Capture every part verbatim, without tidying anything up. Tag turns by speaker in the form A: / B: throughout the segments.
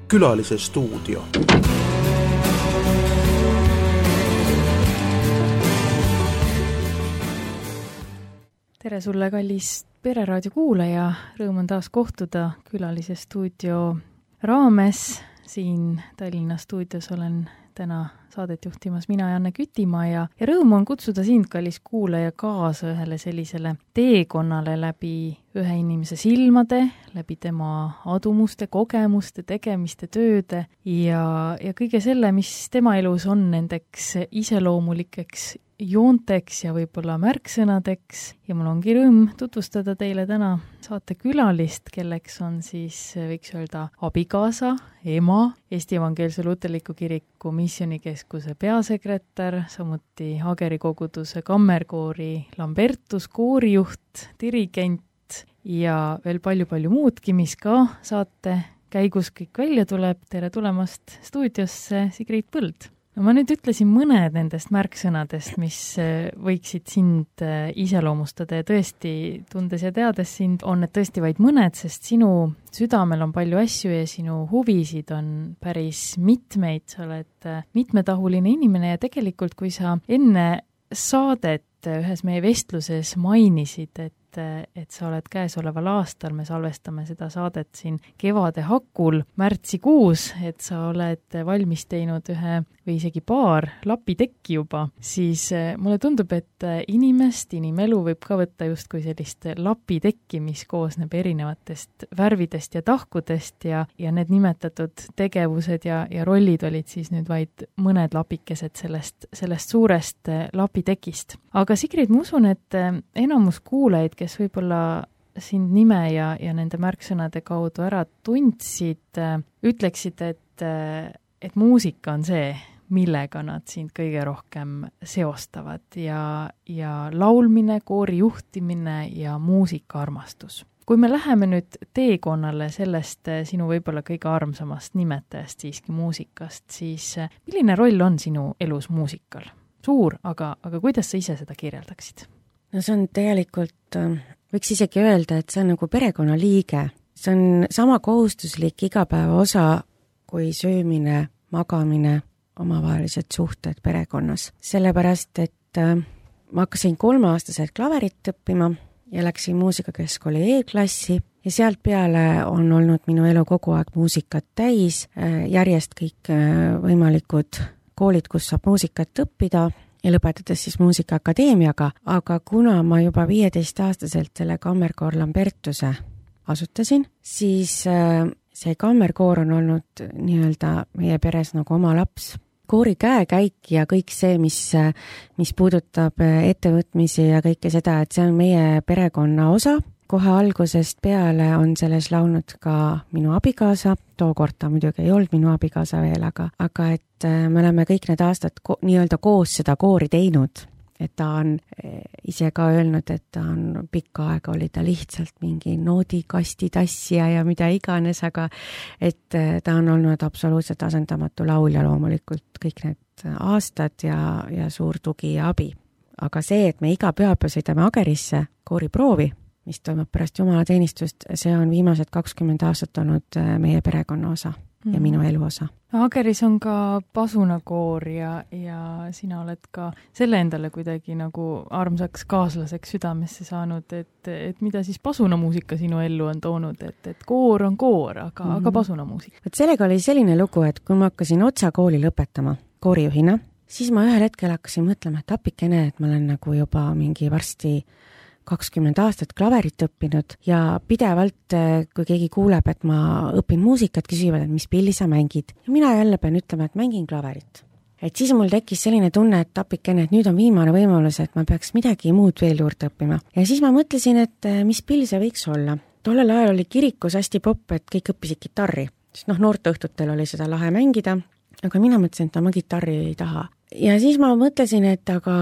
A: Külalise stuudio.
B: Tere sulle, kallis Pereraadio kuulaja. Rõõm on taas kohtuda Külalise stuudio raames. Siin Tallinna stuudios olen täna saadet juhtimas mina, Janne Kütimaa, ja, ja rõõm on kutsuda sind, kallis kuulaja, kaasa ühele sellisele teekonnale läbi ühe inimese silmade, läbi tema adumuste, kogemuste, tegemiste, tööde ja, ja kõige selle, mis tema elus on nendeks iseloomulikeks joonteks ja võib-olla märksõnadeks. Ja mul ongi rõõm tutvustada teile täna saate külalist, kelleks on siis, võiks öelda, abikaasa, ema, Eesti Evangeelse Luterliku Kiriku Missioonikeskuse peasekretär, samuti Ageri koguduse kammerkoori Lambertus koorijuht, dirigent ja veel palju-palju muudki, mis ka saate käigus kõik välja tuleb. Tere tulemast stuudiosse, Sigrid Põld! No ma nüüd ütlesin mõned nendest märksõnadest, mis võiksid sind iseloomustada ja tõesti, tundes ja teades sind, on need tõesti vaid mõned, sest sinu südamel on palju asju ja sinu huvisid on päris mitmeid. Sa oled mitmetahuline inimene ja tegelikult, kui sa enne saadet ühes meie vestluses mainisid, et et sa oled käesoleval aastal, me salvestame seda saadet siin kevade hakul, märtsikuus, et sa oled valmis teinud ühe või isegi paar lapitekki juba, siis mulle tundub, et inimest, inimelu võib ka võtta justkui sellist lapitekki, mis koosneb erinevatest värvidest ja tahkudest ja, ja need nimetatud tegevused ja, ja rollid olid siis nüüd vaid mõned lapikesed sellest, sellest suurest lapitekist. Aga Sigrid, ma usun, et enamus kuulajaid, kes võib-olla sind nime ja, ja nende märksõnade kaudu ära tundsid, ütleksid, et, et muusika on see, millega nad sind kõige rohkem seostavad ja, ja laulmine, koori juhtimine ja muusikaarmastus. Kui me läheme nüüd teekonnale sellest sinu võib-olla kõige armsamast nimetajast siiski muusikast, siis milline roll on sinu elus muusikal? Suur, aga, aga kuidas sa ise seda kirjeldaksid?
C: No see on tegelikult, võiks isegi öelda, et see on nagu perekonnaliige. See on sama kohustuslik igapäeva osa kui söömine, magamine, omavahelised suhted perekonnas. Sellepärast, et ma hakkasin kolmeaastaselt klaverit õppima ja läksin muusikakeskkooli E-klassi ja sealt peale on olnud minu elu kogu aeg muusikat täis, järjest kõik võimalikud koolid, kus saab muusikat õppida ja lõpetades siis muusikaakadeemiaga, aga kuna ma juba viieteistaastaselt selle kammerkoor Lambertuse asutasin, siis see kammerkoor on olnud nii-öelda meie peres nagu oma laps. Koori käekäik ja kõik see, mis, mis puudutab ettevõtmisi ja kõike seda, et see on meie perekonna osa. Kohe algusest peale on selles laulnud ka minu abikaasa, tookord ta muidugi ei olnud minu abikaasa veel, aga, aga et me oleme kõik need aastad ko- nii-öelda koos seda koori teinud, et ta on ise ka öelnud, et ta on pikka aega oli ta lihtsalt mingi noodikasti tassija ja mida iganes, aga et ta on olnud absoluutselt asendamatu laulja loomulikult kõik need aastad ja, ja suur tugi ja abi. Aga see, et me iga pühapäev sõidame Agerisse kooriproovi, mis toimub pärast jumalateenistust, see on viimased kakskümmend aastat olnud meie perekonna osa mm. ja minu elu osa.
B: Ageris on ka pasunakoor ja, ja sina oled ka selle endale kuidagi nagu armsaks kaaslaseks südamesse saanud, et, et mida siis pasunamuusika sinu ellu on toonud, et, et koor on koor, aga, mm. aga pasunamuusika.
C: Et sellega oli selline lugu, et kui ma hakkasin otsa kooli lõpetama koorijuhina, siis ma ühel hetkel hakkasin mõtlema, et apikene, et ma olen nagu juba mingi varsti kakskümmend aastat klaverit õppinud ja pidevalt, kui keegi kuuleb, et ma õpin muusikat, küsivad, et mis pilli sa mängid. Ja mina jälle pean ütlema, et mängin klaverit. Et siis mul tekkis selline tunne, et apikene, et nüüd on viimane võimalus, et ma peaks midagi muud veel juurde õppima. Ja siis ma mõtlesin, et mis pill see võiks olla. Tollel ajal oli kirikus hästi popp, et kõik õppisid kitarri. Sest noh, noorteõhtutel oli seda lahe mängida, aga mina mõtlesin, et ma kitarri ei taha. Ja siis ma mõtlesin, et aga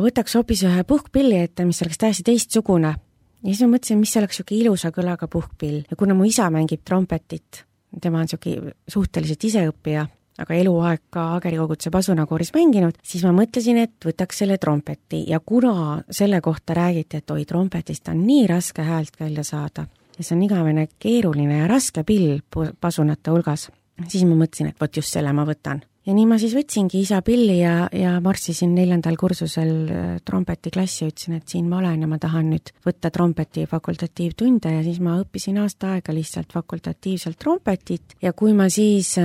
C: võtaks hoopis ühe puhkpilli ette, mis oleks täiesti teistsugune. Ja siis ma mõtlesin, mis oleks siuke ilusa kõlaga puhkpill. Ja kuna mu isa mängib trompetit, tema on siuke suhteliselt iseõppija, aga eluaeg ka Ageri koguduse pasunakooris mänginud, siis ma mõtlesin, et võtaks selle trompeti. Ja kuna selle kohta räägiti, et oi, trompetist on nii raske häält välja saada, ja see on igavene keeruline ja raske pill pasunate hulgas, siis ma mõtlesin, et võt just selle ma võtan. Ja nii ma siis võtsingi isa pilli ja, ja marssisin neljandal kursusel trompetiklassi ja ütlesin, et siin ma olen ja ma tahan nüüd võtta trompeti fakultatiivtunde ja siis ma õppisin aasta aega lihtsalt fakultatiivselt trompetit ja kui ma siis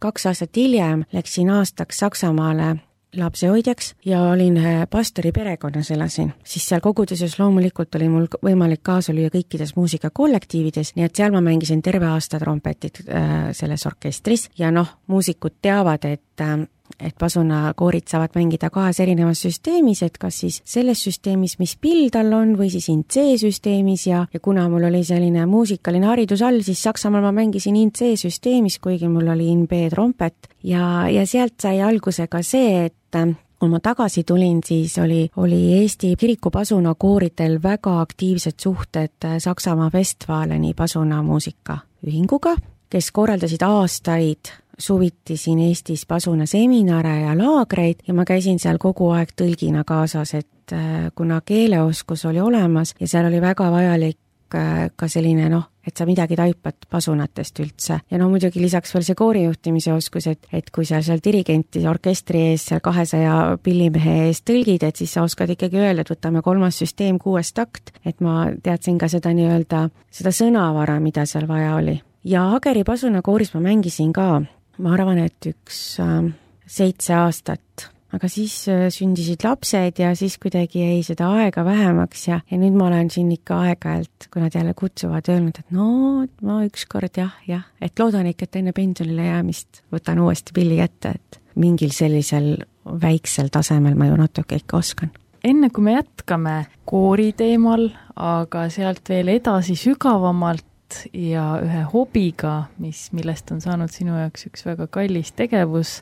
C: kaks aastat hiljem läksin aastaks Saksamaale lapsehoidjaks ja olin pastori perekonnas elasin, siis seal koguduses loomulikult oli mul võimalik kaasa lüüa kõikides muusikakollektiivides, nii et seal ma mängisin terve aasta trompetit äh, selles orkestris ja noh, muusikud teavad, et äh, et pasunakoorid saavad mängida kahes erinevas süsteemis, et kas siis selles süsteemis, mis pill tal on, või siis in C-süsteemis ja, ja kuna mul oli selline muusikaline haridus all, siis Saksamaal ma mängisin in C-süsteemis, kuigi mul oli in B-trompet ja, ja sealt sai alguse ka see, et kui ma tagasi tulin, siis oli, oli Eesti kirikupasunakooritel väga aktiivsed suhted Saksamaa Westfaleni pasunamuusika ühinguga, kes korraldasid aastaid suviti siin Eestis pasunaseminare ja laagreid ja ma käisin seal kogu aeg tõlgina kaasas, et kuna keeleoskus oli olemas ja seal oli väga vajalik ka selline noh, et sa midagi taipad pasunatest üldse. Ja no muidugi lisaks veel see koorijuhtimise oskus, et, et kui sa seal dirigenti orkestri ees seal kahesaja pillimehe ees tõlgid, et siis sa oskad ikkagi öelda, et võtame kolmas süsteem, kuues takt, et ma teadsin ka seda nii-öelda, seda sõnavara, mida seal vaja oli. Ja Ageri pasunakooris ma mängisin ka, ma arvan, et üks äh, seitse aastat, aga siis äh, sündisid lapsed ja siis kuidagi jäi seda aega vähemaks ja, ja nüüd ma olen siin ikka aeg-ajalt, kui nad jälle kutsuvad, öelnud, et no ma ükskord jah, jah, et loodan ikka, et enne pensionile jäämist võtan uuesti pilli kätte, et mingil sellisel väiksel tasemel ma ju natuke ikka oskan.
B: Enne kui me jätkame koori teemal, aga sealt veel edasi sügavamalt, ja ühe hobiga, mis, millest on saanud sinu jaoks üks väga kallis tegevus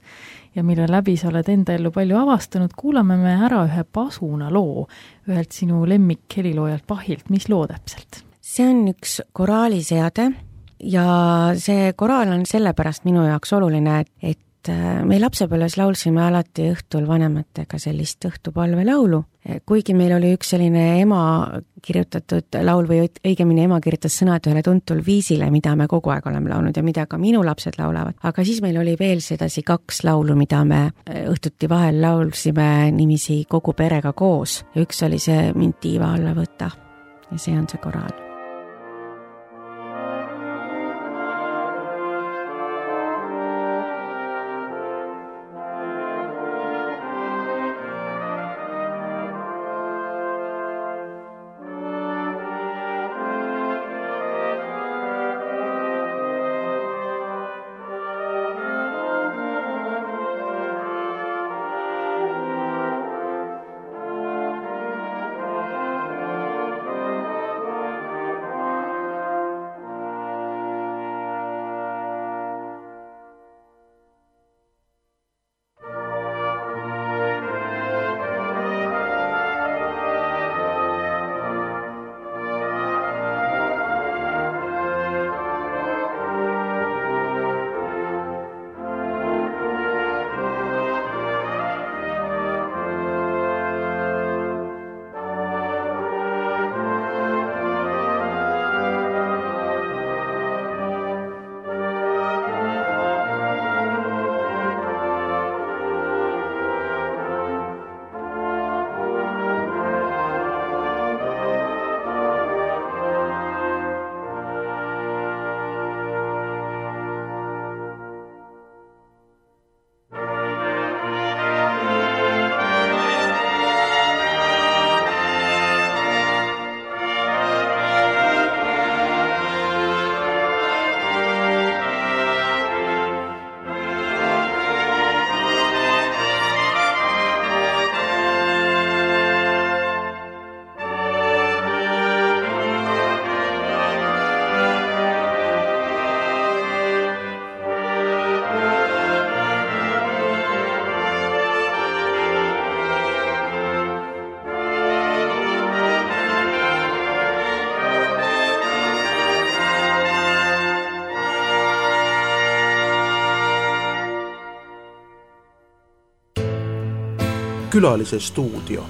B: ja mille läbi sa oled enda ellu palju avastanud, kuulame me ära ühe pasuna loo ühelt sinu lemmik heliloojalt Bachilt. Mis loo täpselt?
C: See on üks koraaliseade ja see koraal on sellepärast minu jaoks oluline, et, et me lapsepõlves laulsime alati õhtul vanematega sellist õhtupalve laulu, kuigi meil oli üks selline ema kirjutatud laul või õigemini ema kirjutas sõnad ühele tuntul viisile, mida me kogu aeg oleme laulnud ja mida ka minu lapsed laulavad. Aga siis meil oli veel sedasi kaks laulu, mida me õhtuti vahel laulsime nimisi kogu perega koos ja üks oli see Mind tiiva alla võta ja see on see koraal.
A: Külalise stuudio.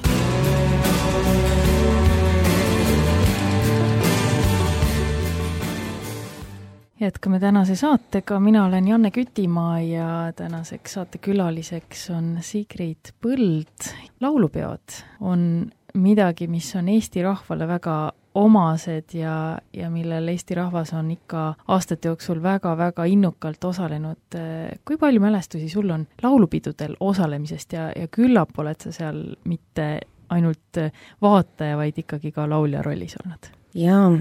B: jätkame tänase saatega, mina olen Janne Kütimaa ja tänaseks saatekülaliseks on Sigrid Põld. Laulupeod on midagi, mis on Eesti rahvale väga omased ja, ja millel Eesti rahvas on ikka aastate jooksul väga-väga innukalt osalenud. Kui palju mälestusi sul on laulupidudel osalemisest ja, ja küllap oled sa seal mitte ainult vaataja, vaid ikkagi ka laulja rollis olnud?
C: Jaa,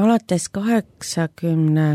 C: alates kaheksakümne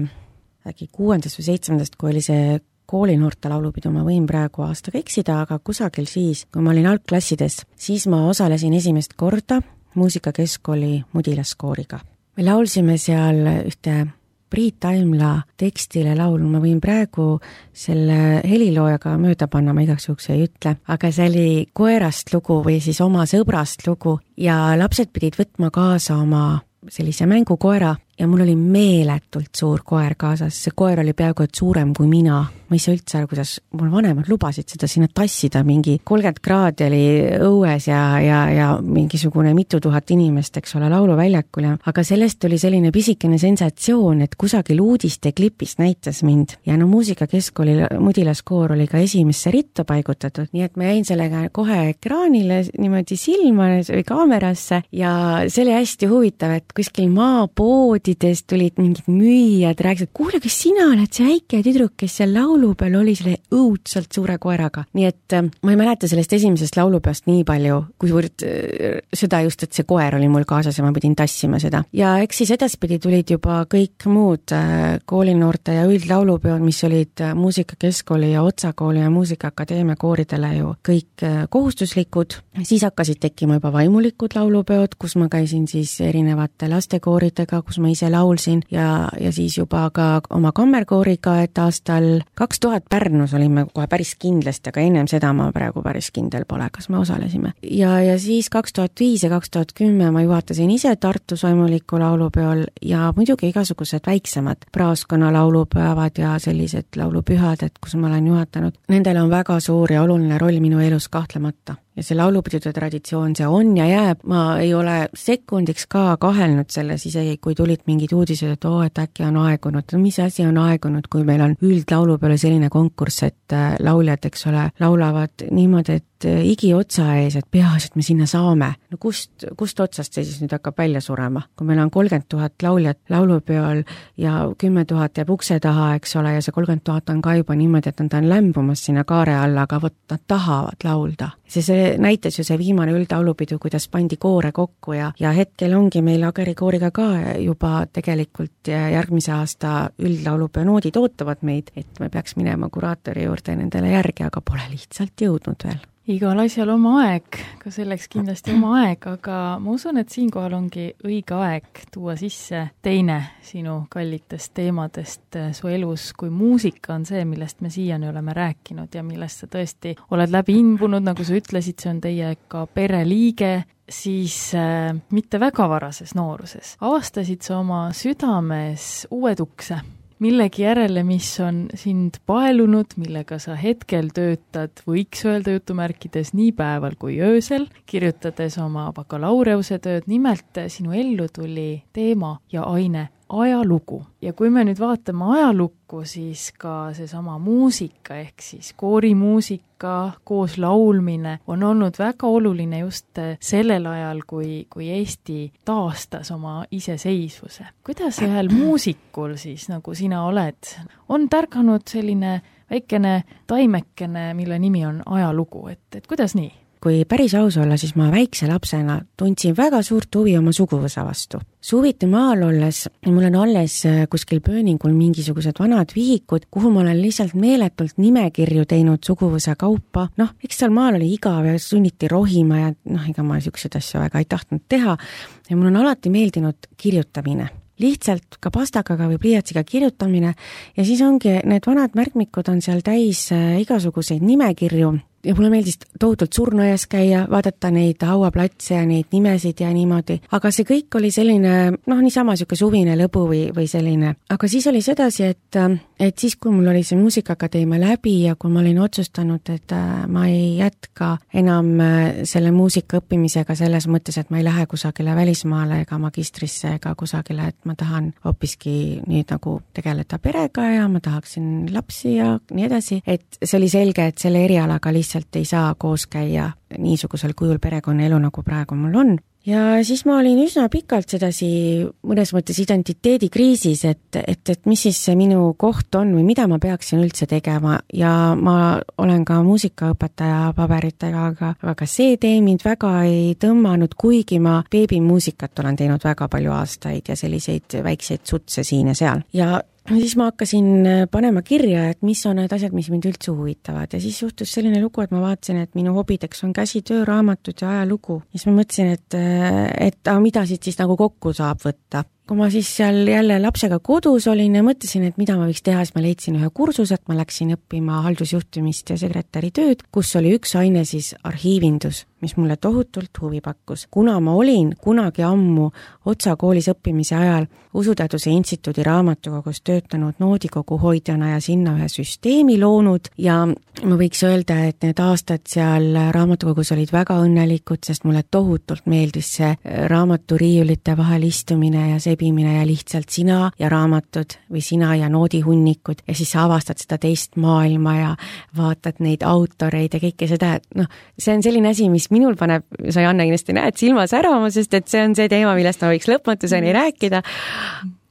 C: äkki kuuendast või seitsmendast, kui oli see koolinoorte laulupidu, ma võin praegu aastaga eksida, aga kusagil siis, kui ma olin algklassides, siis ma osalesin esimest korda muusikakeskkooli Mudilaskooriga. Me laulsime seal ühte Priit Taimla tekstile laulu, ma võin praegu selle heliloojaga mööda panna, ma igaks juhuks ei ütle, aga see oli koerast lugu või siis oma sõbrast lugu ja lapsed pidid võtma kaasa oma sellise mängukoera ja mul oli meeletult suur koer kaasas, see koer oli peaaegu et suurem kui mina. Ma ei saa üldse aru, kuidas mul vanemad lubasid seda sinna tassida, mingi kolmkümmend kraadi oli õues ja, ja, ja mingisugune mitu tuhat inimest, eks ole, lauluväljakul. Aga sellest oli selline pisikene sensatsioon, et kusagil uudiste klipis näitas mind ja no muusikakeskkooli Mudilaskoor oli ka esimesse ritta paigutatud, nii et ma jäin sellega kohe ekraanile niimoodi silma või kaamerasse ja see oli hästi huvitav, et kuskil maapoodidest tulid mingid müüjad, rääkisid, kuule, kas sina oled see väike tüdruk, kes seal laulupeal oli selle õudselt suure koeraga. Nii et ma ei mäleta sellest esimesest laulupeast nii palju, kuivõrd seda just, et see koer oli mul kaasas ja ma pidin tassima seda. Ja eks siis edaspidi tulid juba kõik muud koolinoorte ja üldlaulupeod, mis olid muusikakeskkooli ja Otsakooli ja muusikaakadeemia kooridele ju kõik kohustuslikud. Siis hakkasid tekkima juba vaimulikud laulupeod, kus ma käisin siis erinevate lastekooridega, kus ma ise laulsin ja, ja siis juba ka oma kammerkooriga, et aastal kaks tuhat Pärnus olime kohe päris kindlasti, aga ennem seda ma praegu päris kindel pole, kas me osalesime. Ja, ja siis kaks tuhat viis ja kaks tuhat kümme ma juhatasin ise Tartus vaimuliku laulupeol ja muidugi igasugused väiksemad praaskonna laulupäevad ja sellised laulupühad, et kus ma olen juhatanud. Nendel on väga suur ja oluline roll minu elus kahtlemata. Ja see laulupidude traditsioon, see on ja jääb. Ma ei ole sekundiks ka kahelnud selles, isegi kui tulid mingid uudised, et oo, et äkki on aegunud. No mis asi on aegunud, kui meil on üldlaulu peale selline konkurss, et lauljad, eks ole, laulavad niimoodi, et igi otsa ees, et peas, et me sinna saame. No kust, kust otsast see siis nüüd hakkab välja surema? Kui meil on kolmkümmend tuhat lauljat laulupeol ja kümme tuhat jääb ukse taha, eks ole, ja see kolmkümmend tuhat on ka juba niimoodi, et nad on lämbumas sinna kaare alla, aga võt, nad tahavad laulda. See, see näitas ju see viimane üldlaulupidu, kuidas pandi koore kokku ja, ja hetkel ongi meil Ageri kooriga ka juba tegelikult järgmise aasta üldlaulupeo noodid ootavad meid, et me peaks minema kuraatori juurde nendele järgi, aga pole lihtsalt jõudnud veel.
B: Igal asjal oma aeg, ka selleks kindlasti oma aeg, aga ma usun, et siinkohal ongi õige aeg tuua sisse teine sinu kallitest teemadest su elus, kui muusika on see, millest me siiani oleme rääkinud ja millest sa tõesti oled läbi imbunud, nagu sa ütlesid, see on teie ka pereliige, siis äh, mitte väga varases nooruses. Avastasid sa oma südames uued ukse. Millegi järele, mis on sind paelunud, millega sa hetkel töötad, võiks öelda jutumärkides nii päeval kui öösel, kirjutades oma bakalaureuse tööd, nimelt sinu ellu tuli teema ja aine ajalugu. Ja kui me nüüd vaatame ajalukku, siis ka seesama muusika ehk siis koorimuusika koos laulmine on olnud väga oluline just sellel ajal, kui, kui Eesti taastas oma iseseisvuse. Kuidas ühel muusikul siis, nagu sina oled, on tärganud selline väikene taimekene, mille nimi on ajalugu, et, et kuidas nii?
C: Kui päris aus olla, siis ma väikse lapsena tundsin väga suurt huvi oma suguvõsa vastu. Suviti maal olles, mul on alles kuskil pööningul mingisugused vanad vihikud, kuhu ma olen lihtsalt meeletult nimekirju teinud suguvõsa kaupa. Noh, eks seal maal oli igav ja sunniti rohima ja noh, ega ma niisuguseid asju väga ei tahtnud teha. Ja mul on alati meeldinud kirjutamine. Lihtsalt ka pastakaga või pliiatsiga kirjutamine ja siis ongi need vanad märkmikud on seal täis igasuguseid nimekirju ja mulle meeldis tohutult surnuaias käia, vaadata neid hauaplatse ja neid nimesid ja niimoodi, aga see kõik oli selline, noh, niisama siuke suvine lõbu või, või selline. Aga siis oli sedasi, et, et siis, kui mul oli see muusikaakadeemia läbi ja kui ma olin otsustanud, et ma ei jätka enam selle muusika õppimisega selles mõttes, et ma ei lähe kusagile välismaale ega magistrisse ega kusagile, et ma tahan hoopiski nüüd nagu tegeleda perega ja ma tahaksin lapsi ja nii edasi, et see oli selge, et selle erialaga lihtsalt ei saa koos käia niisugusel kujul perekonnaelu, nagu praegu mul on. Ja siis ma olin üsna pikalt sedasi mõnes mõttes identiteedikriisis, et, et, et mis siis see minu koht on või mida ma peaksin üldse tegema ja ma olen ka muusikaõpetaja paberitega, aga, aga see tee mind väga ei tõmmanud, kuigi ma beebimuusikat olen teinud väga palju aastaid ja selliseid väikseid sutse siin ja seal. Ja siis ma hakkasin panema kirja, et mis on need asjad, mis mind üldse huvitavad ja siis juhtus selline lugu, et ma vaatasin, et minu hobideks on käsitöö, raamatud ja ajalugu. Ja siis ma mõtlesin, et, et a, mida siit siis nagu kokku saab võtta. Kui ma siis seal jälle lapsega kodus olin ja mõtlesin, et mida ma võiks teha, siis ma leidsin ühe kursuse, et ma läksin õppima haldusjuhtimist ja sekretäri tööd, kus oli üks aine siis arhiivindus, mis mulle tohutult huvi pakkus. Kuna ma olin kunagi ammu Otsa koolis õppimise ajal Usuteaduse instituudi raamatukogus töötanud noodikogu hoidjana ja sinna ühe süsteemi loonud ja ma võiks öelda, et need aastad seal raamatukogus olid väga õnnelikud, sest mulle tohutult meeldis see raamaturiiulite vahel istumine ja sebimine ja lihtsalt sina ja raamatud või sina ja noodihunnikud ja siis sa avastad seda teist maailma ja vaatad neid autoreid ja kõike seda, et noh, see on selline asi, mis minul paneb, sa Janne kindlasti näed silma särama, sest et see on see teema, millest ma võiks lõpmatuseni rääkida.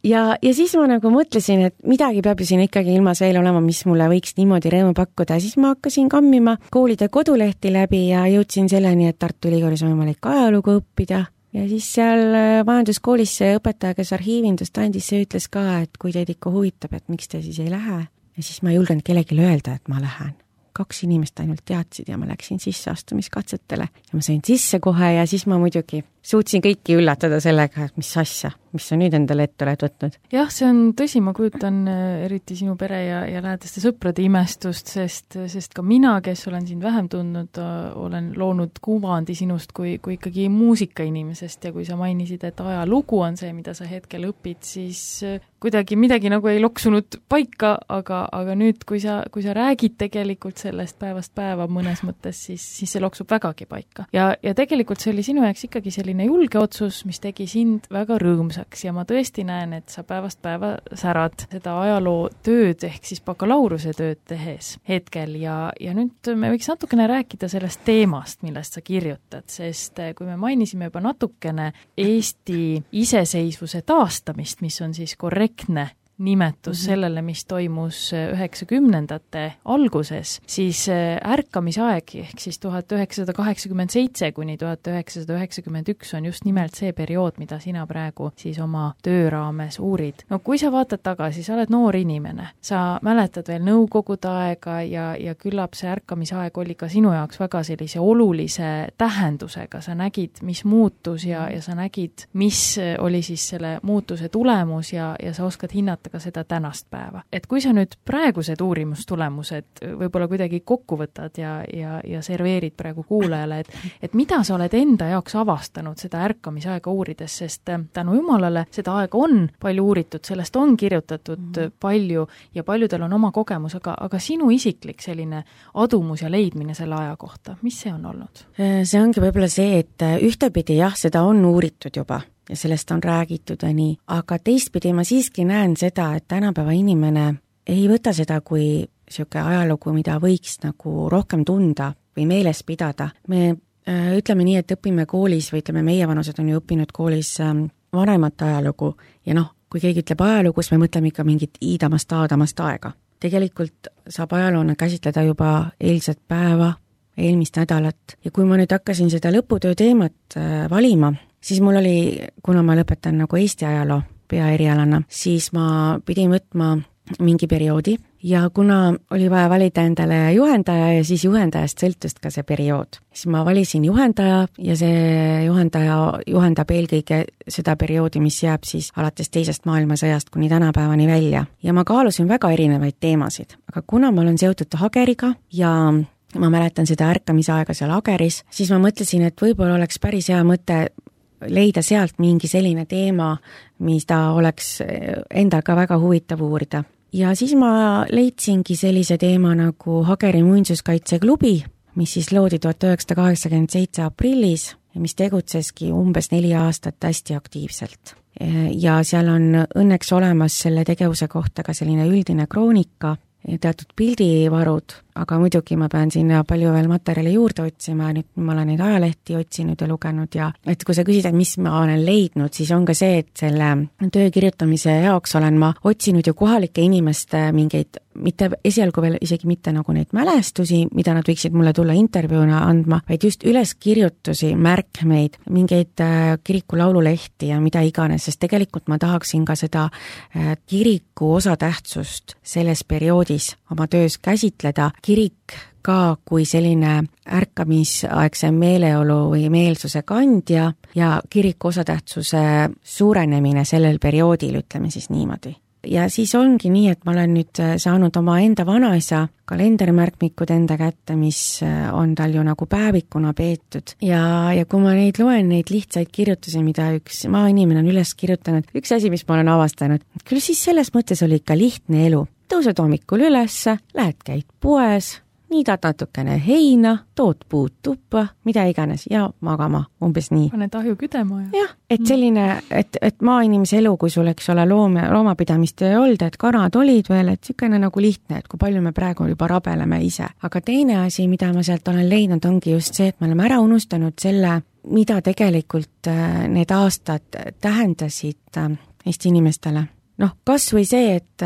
C: Ja, ja siis ma nagu mõtlesin, et midagi peab ju siin ikkagi ilmas veel olema, mis mulle võiks niimoodi rõõmu pakkuda. Siis ma hakkasin kammima koolide kodulehti läbi ja jõudsin selleni, et Tartu Ülikoolis on võimalik ajalugu õppida. Ja siis seal majanduskoolis see õpetaja, kes arhiivindust andis, see ütles ka, et kui teid ikka huvitab, et miks te siis ei lähe. Ja siis ma ei julgenud kellelegi öelda, et ma lähen. Kaks inimest ainult teadsid ja ma läksin sisseastumiskatsetele ja ma sain sisse kohe ja siis ma muidugi suutsin kõiki üllatada sellega, et mis asja, mis sa nüüd endale ette oled võtnud.
B: Jah, see on tõsi, ma kujutan eriti sinu pere ja, ja lähedaste sõprade imestust, sest, sest ka mina, kes olen sind vähem tundnud, olen loonud kuvandi sinust kui, kui ikkagi muusikainimesest ja kui sa mainisid, et ajalugu on see, mida sa hetkel õpid, siis kuidagi midagi nagu ei loksunud paika, aga, aga nüüd, kui sa, kui sa räägid tegelikult sellest päevast päeva mõnes mõttes, siis, siis see loksub vägagi paika. Ja, ja tegelikult see oli sinu jaoks ikkagi selline julge otsus, mis tegi sind väga rõõmsaks ja ma tõesti näen, et sa päevast päeva särad seda ajaloo tööd ehk siis bakalaureuse tööd tehes hetkel ja, ja nüüd me võiks natukene rääkida sellest teemast, millest sa kirjutad, sest kui me mainisime juba natukene Eesti iseseisvuse taastamist, mis on siis korrektne nimetus mm-hmm. sellele, mis toimus üheksakümnendate alguses, siis ärkamisaeg ehk siis tuhat üheksasada kaheksakümmend seitse kuni tuhat üheksasada üheksakümmend üks on just nimelt see periood, mida sina praegu siis oma töö raames uurid. No kui sa vaatad tagasi, sa oled noor inimene, sa mäletad veel nõukogude aega ja, ja küllap see ärkamisaeg oli ka sinu jaoks väga sellise olulise tähendusega, sa nägid, mis muutus ja, ja sa nägid, mis oli siis selle muutuse tulemus ja, ja sa oskad hinnata ka seda tänast päeva. Et kui sa nüüd praegused uurimustulemused võib-olla kuidagi kokku võtad ja, ja, ja serveerid praegu kuulajale, et, et mida sa oled enda jaoks avastanud seda ärkamisaega uurides, sest tänu jumalale seda aega on palju uuritud, sellest on kirjutatud mm. palju ja paljudel on oma kogemus, aga, aga sinu isiklik selline adumus ja leidmine selle aja kohta, mis see on olnud?
C: See ongi võib-olla see, et ühtepidi jah, seda on uuritud juba ja sellest on räägitud ja nii, aga teistpidi ma siiski näen seda, et tänapäeva inimene ei võta seda kui siuke ajalugu, mida võiks nagu rohkem tunda või meeles pidada. Me äh, ütleme nii, et õpime koolis või ütleme, meie vanused on ju õppinud koolis äh, vanemat ajalugu ja noh, kui keegi ütleb ajalugu, siis me mõtleme ikka mingit iidamast, aadamast aega. Tegelikult saab ajaloona käsitleda juba eilset päeva, eelmist nädalat ja kui ma nüüd hakkasin seda lõputöö teemat äh, valima, siis mul oli, kuna ma lõpetan nagu Eesti ajaloo peaerialana, siis ma pidin võtma mingi perioodi ja kuna oli vaja valida endale juhendaja ja siis juhendajast sõltust ka see periood, siis ma valisin juhendaja ja see juhendaja juhendab eelkõige seda perioodi, mis jääb siis alates teisest maailmasõjast kuni tänapäevani välja. Ja ma kaalusin väga erinevaid teemasid, aga kuna ma olen seotud Hageriga ja ma mäletan seda ärkamisaega seal Ageris, siis ma mõtlesin, et võib-olla oleks päris hea mõte leida sealt mingi selline teema, mis ta oleks endal ka väga huvitav uurida. Ja siis ma leidsingi sellise teema nagu Ageri muinsuskaitseklubi, mis siis loodi tuhat üheksasada kaheksakümmend seitse aprillis ja mis tegutseski umbes neli aastat hästi aktiivselt. Ja seal on õnneks olemas selle tegevuse kohta ka selline üldine kroonika ja teatud pildivarud, aga muidugi ma pean sinna palju veel materjali juurde otsima, nüüd ma olen neid ajalehti otsinud ja lugenud ja et kui sa küsid, et mis ma olen leidnud, siis on ka see, et selle töö kirjutamise jaoks olen ma otsinud ju kohalike inimeste mingeid, mitte esialgu veel isegi mitte nagu neid mälestusi, mida nad võiksid mulle tulla intervjuuna andma, vaid just üleskirjutusi, märkmeid, mingeid kiriku laululehti ja mida iganes, sest tegelikult ma tahaksin ka seda kiriku osatähtsust selles perioodis oma töös käsitleda, kirik ka kui selline ärkamisaegse meeleolu või meelsuse kandja ja kiriku osatähtsuse suurenemine sellel perioodil, ütleme siis niimoodi. Ja siis ongi nii, et ma olen nüüd saanud oma enda vanaisa kalendermärkmikud enda kätte, mis on tal ju nagu päevikuna peetud. Ja, ja kui ma neid loen, neid lihtsaid kirjutusi, mida üks maainimene on üles kirjutanud, üks asi, mis ma olen avastanud, küll siis selles mõttes oli ikka lihtne elu. Tõused hommikul ülesse, lähed käid poes, niidad natukene heina, tood puud tuppa, mida iganes ja magama, umbes nii.
B: Paned ahju küdema ja...
C: Jah, et selline, et, et maainimese elu, kui sul eks ole loom, loomapidamist ei olnud, et kanad olid veel, et sükene nagu lihtne, et kui palju me praegu juba rabeleme ise. Aga teine asi, mida ma sealt olen leidnud, ongi just see, et me oleme ära unustanud selle, mida tegelikult need aastad tähendasid Eesti inimestele. Noh, kas või see, et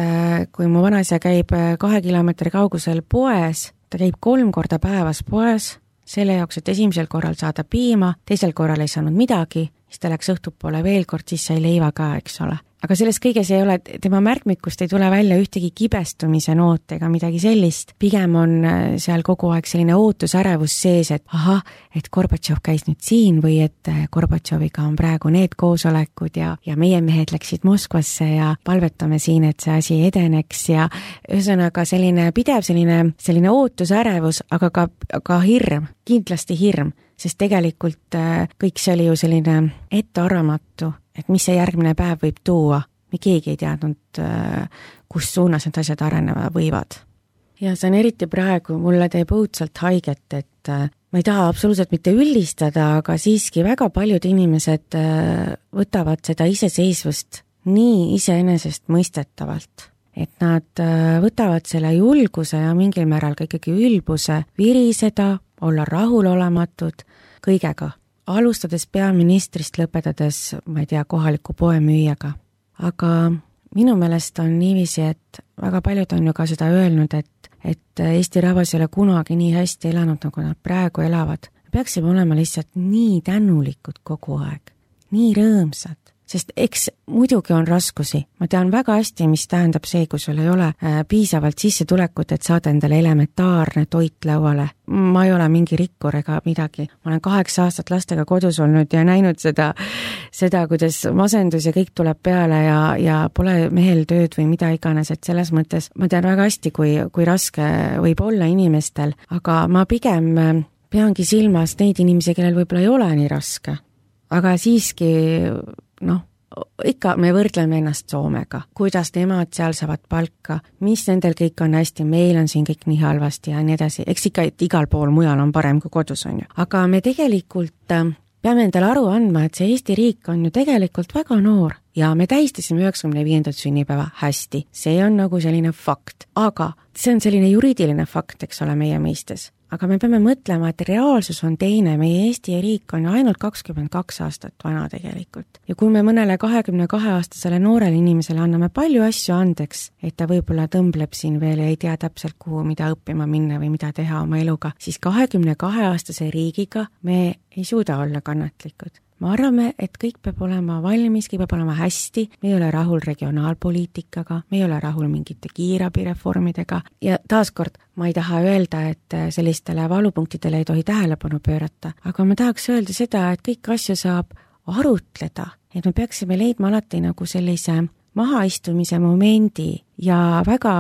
C: kui mu vanaisa käib kahe kilomeetri kaugusel poes, ta käib kolm korda päevas poes, selle jaoks, et esimesel korral saada piima, teisel korral ei saanud midagi, siis ta läks õhtupoole veel kord, siis sai leiva ka, eks ole. Aga selles kõiges ei ole, tema märkmikust ei tule välja ühtegi kibestumise noot ega midagi sellist. Pigem on seal kogu aeg selline ootusärevus sees, et aha, et Gorbatšov käis nüüd siin või et Gorbatšoviga on praegu need koosolekud ja, ja meie mehed läksid Moskvasse ja palvetame siin, et see asi edeneks ja ühesõnaga selline pidev selline, selline ootusärevus, aga ka, ka hirm, kindlasti hirm, sest tegelikult kõik see oli ju selline ettearvamatu, et mis see järgmine päev võib tuua. Me keegi ei teadnud, kus suunas need asjad areneva võivad. Ja see on eriti praegu, mulle teeb õudselt haiget, et ma ei taha absoluutselt mitte üldistada, aga siiski väga paljud inimesed võtavad seda iseseisvust nii iseenesest mõistetavalt. Et nad võtavad selle julguse ja mingil määral ka ikkagi ülbuse viriseda, olla rahulolematud kõigega. Alustades peaministrist, lõpetades, ma ei tea, kohaliku poemüüjaga. Aga minu meelest on niiviisi, et väga paljud on ju ka seda öelnud, et, et Eesti rahvas ei ole kunagi nii hästi elanud, nagu nad praegu elavad. Peaksime olema lihtsalt nii tänulikud kogu aeg, nii rõõmsad. Sest eks muidugi on raskusi. Ma tean väga hästi, mis tähendab see, kui sul ei ole äh, piisavalt sissetulekut, et saada endale elementaarne toit lauale. Ma ei ole mingi rikkur ega midagi. Ma olen kaheksa aastat lastega kodus olnud ja näinud seda, seda kuidas masendus ja kõik tuleb peale ja, ja pole mehel tööd või mida iganes, et selles mõttes ma tean väga hästi, kui, kui raske võib olla inimestel, aga ma pigem peangi silmas neid inimesi, kellel võib-olla ei ole nii raske. Aga siiski, noh, ikka me võrdleme ennast Soomega, kuidas nemad seal saavad palka, mis nendel kõik on hästi, meil on siin kõik nii halvasti ja nii edasi, eks ikka, et igal pool mujal on parem kui kodus on ju. Aga me tegelikult peame endale aru andma, et see Eesti riik on ju tegelikult väga noor ja me tähistasime üheksakümne viiendat sünnipäeva hästi, see on nagu selline fakt, aga see on selline juriidiline fakt, eks ole, meie mõistes. Aga me peame mõtlema, et reaalsus on teine, meie Eesti riik on ainult kakskümmend kaks aastat vana tegelikult. Ja kui me mõnele kahekümne kahe aastasele noorele inimesele anname palju asju andeks, et ta võib-olla tõmbleb siin veel ja ei tea täpselt kuhu, mida õppima minna või mida teha oma eluga, siis kahekümne kahe aastase riigiga me ei suuda olla kannatlikud. Me arvame, et kõik peab olema valmis, kõik peab olema hästi, me ei ole rahul regionaalpoliitikaga, me ei ole rahul mingite kiirabireformidega ja taaskord ma ei taha öelda, et sellistele valupunktidele ei tohi tähelepanu pöörata, aga ma tahaks öelda seda, et kõik asju saab arutleda, et me peaksime leidma alati nagu sellise mahaistumise momendi ja väga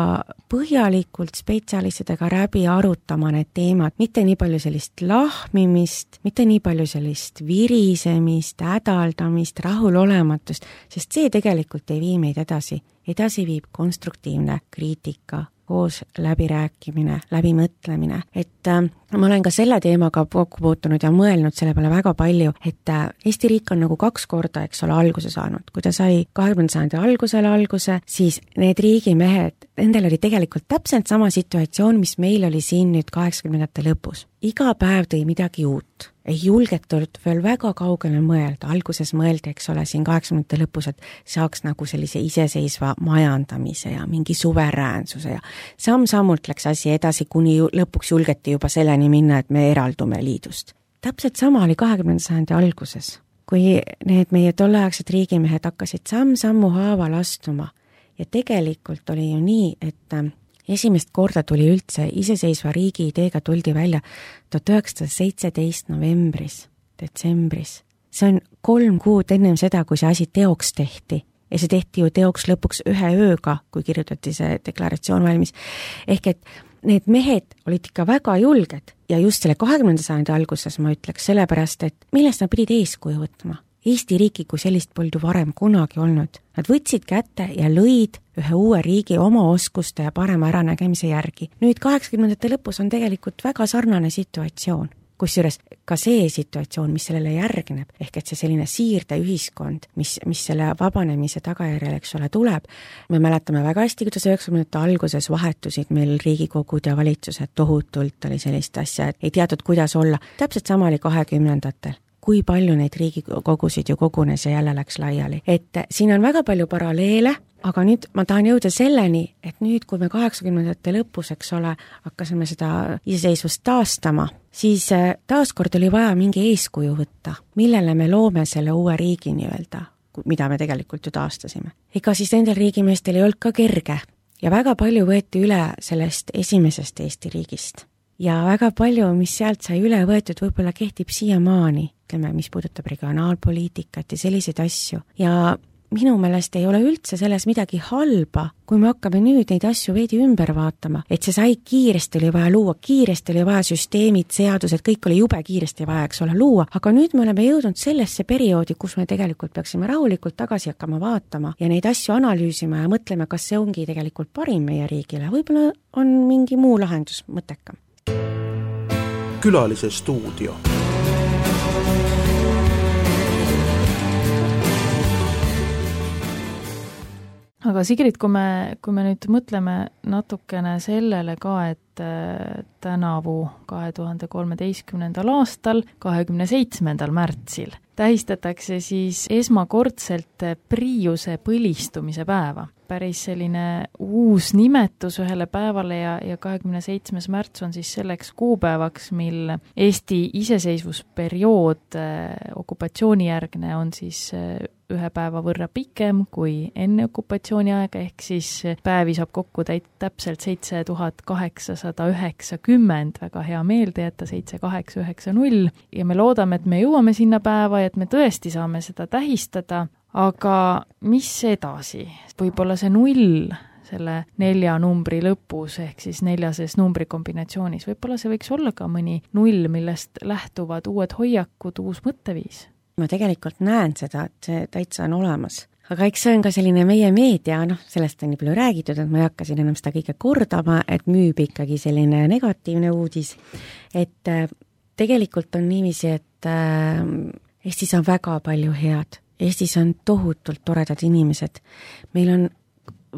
C: põhjalikult spetsialistidega läbi arutama need teemad, mitte nii palju sellist lahmimist, mitte nii palju sellist virisemist, hädaldamist, rahulolematust, sest see tegelikult ei vii meid edasi. Edasi viib konstruktiivne kriitika, koos läbirääkimine, läbimõtlemine. Et äh, ma olen ka selle teemaga kokku puutunud ja mõelnud selle peale väga palju, et äh, Eesti riik on nagu kaks korda, eks ole, alguse saanud. Kui ta sai kahekümnenda sajandi algusele alguse, siis need riigimehed, nendel oli tegelikult täpselt sama situatsioon, mis meil oli siin nüüd kaheksakümnendate lõpus. Iga päev tõi midagi uut. Ei julgetud veel väga kaugele mõelda. Alguses mõeldi, eks ole, siin kaheksakümnendate lõpus, et saaks nagu sellise iseseisva majandamise ja mingi suveräänsuse ja samm-sammult läks asi edasi, kuni lõpuks julgeti juba selleni minna, et me eraldume liidust. Täpselt sama oli kahekümnenda sajandi alguses, kui need meie tolleaegsed riigimehed hakkasid samm-sammu haaval astuma ja tegelikult oli ju nii, et esimest korda tuli üldse iseseisva riigi ideega tuldi välja tuhat üheksasada seitseteist novembris, detsembris. See on kolm kuud ennem seda, kui see asi teoks tehti. Ja see tehti ju teoks lõpuks ühe ööga, kui kirjutati see deklaratsioon valmis. Ehk et need mehed olid ikka väga julged ja just selle kahekümnenda sajandi alguses ma ütleks sellepärast, et millest nad pidid eeskuju võtma. Eesti riiki kui sellist polnud varem kunagi olnud. Nad võtsid kätte ja lõid ühe uue riigi oma oskuste ja parema äranägemise järgi. Nüüd kaheksakümnendate lõpus on tegelikult väga sarnane situatsioon. Kusjuures ka see situatsioon, mis sellele järgneb, ehk et see selline siirde ühiskond, mis, mis selle vabanemise tagajärjel, eks ole, tuleb. Me mäletame väga hästi, kuidas üheksakümnendate alguses vahetusid meil riigikogud ja valitsused tohutult oli sellist asja, et ei teatud, kuidas olla. Täpselt sama oli kahekümnendatel. Kui palju neid riigikogusid ju kogunes ja jälle läks laiali. Et siin on väga palju paralleele, aga nüüd ma tahan jõuda selleni, et nüüd, kui me kaheksakümnendate lõpus, eks ole, hakkasime seda iseseisvust taastama, siis taaskord oli vaja mingi eeskuju võtta, millele me loome selle uue riigi nii-öelda, mida me tegelikult ju taastasime. Ega siis nendel riigimeestel ei olnud ka kerge ja väga palju võeti üle sellest esimesest Eesti riigist. Ja väga palju, mis sealt sai üle võetud, võib-olla kehtib siiamaani, ütleme, mis puudutab regionaalpoliitikat ja selliseid asju. Ja minu meelest ei ole üldse selles midagi halba, kui me hakkame nüüd neid asju veidi ümber vaatama. Et see sai kiiresti oli vaja luua, kiiresti oli vaja süsteemid, seadused, kõik oli jube kiiresti vaja, eks ole, luua. Aga nüüd me oleme jõudnud sellesse perioodi, kus me tegelikult peaksime rahulikult tagasi hakkama vaatama ja neid asju analüüsima ja mõtlema, kas see ongi tegelikult parim meie riigile. Võib-olla on mingi muu lahendus mõttekam.
A: Külalise stuudio.
B: Aga Sigrid, kui me, kui me nüüd mõtleme natukene sellele ka, et tänavu kahe tuhande kolmeteistkümnendal aastal, kahekümne seitsmendal märtsil tähistatakse siis esmakordselt Priiuse põlistumise päeva. Päris selline uus nimetus ühele päevale ja, ja kahekümne seitsmes märts on siis selleks kuupäevaks, mil Eesti iseseisvusperiood okupatsioonijärgne on siis ühe päeva võrra pikem kui enne okupatsiooni aega, ehk siis päevi saab kokku täit täpselt seitse tuhat kaheksasada üheksakümmend, väga hea meelde jätta, seitse kaheksa üheksa null ja me loodame, et me jõuame sinna päeva ja et me tõesti saame seda tähistada, aga mis edasi? Võib-olla see null selle nelja numbri lõpus, ehk siis neljases numbrikombinatsioonis, võib-olla see võiks olla ka mõni null, millest lähtuvad uued hoiakud, uus mõtteviis.
C: Ma tegelikult näen seda, et see täitsa on olemas. Aga eks see on ka selline meie meedia, noh, sellest on nii palju räägitud, et ma ei hakka siin enam seda kõike kordama, et müüb ikkagi selline negatiivne uudis. Et tegelikult on niiviisi, et Eestis on väga palju head. Eestis on tohutult toredad inimesed. Meil on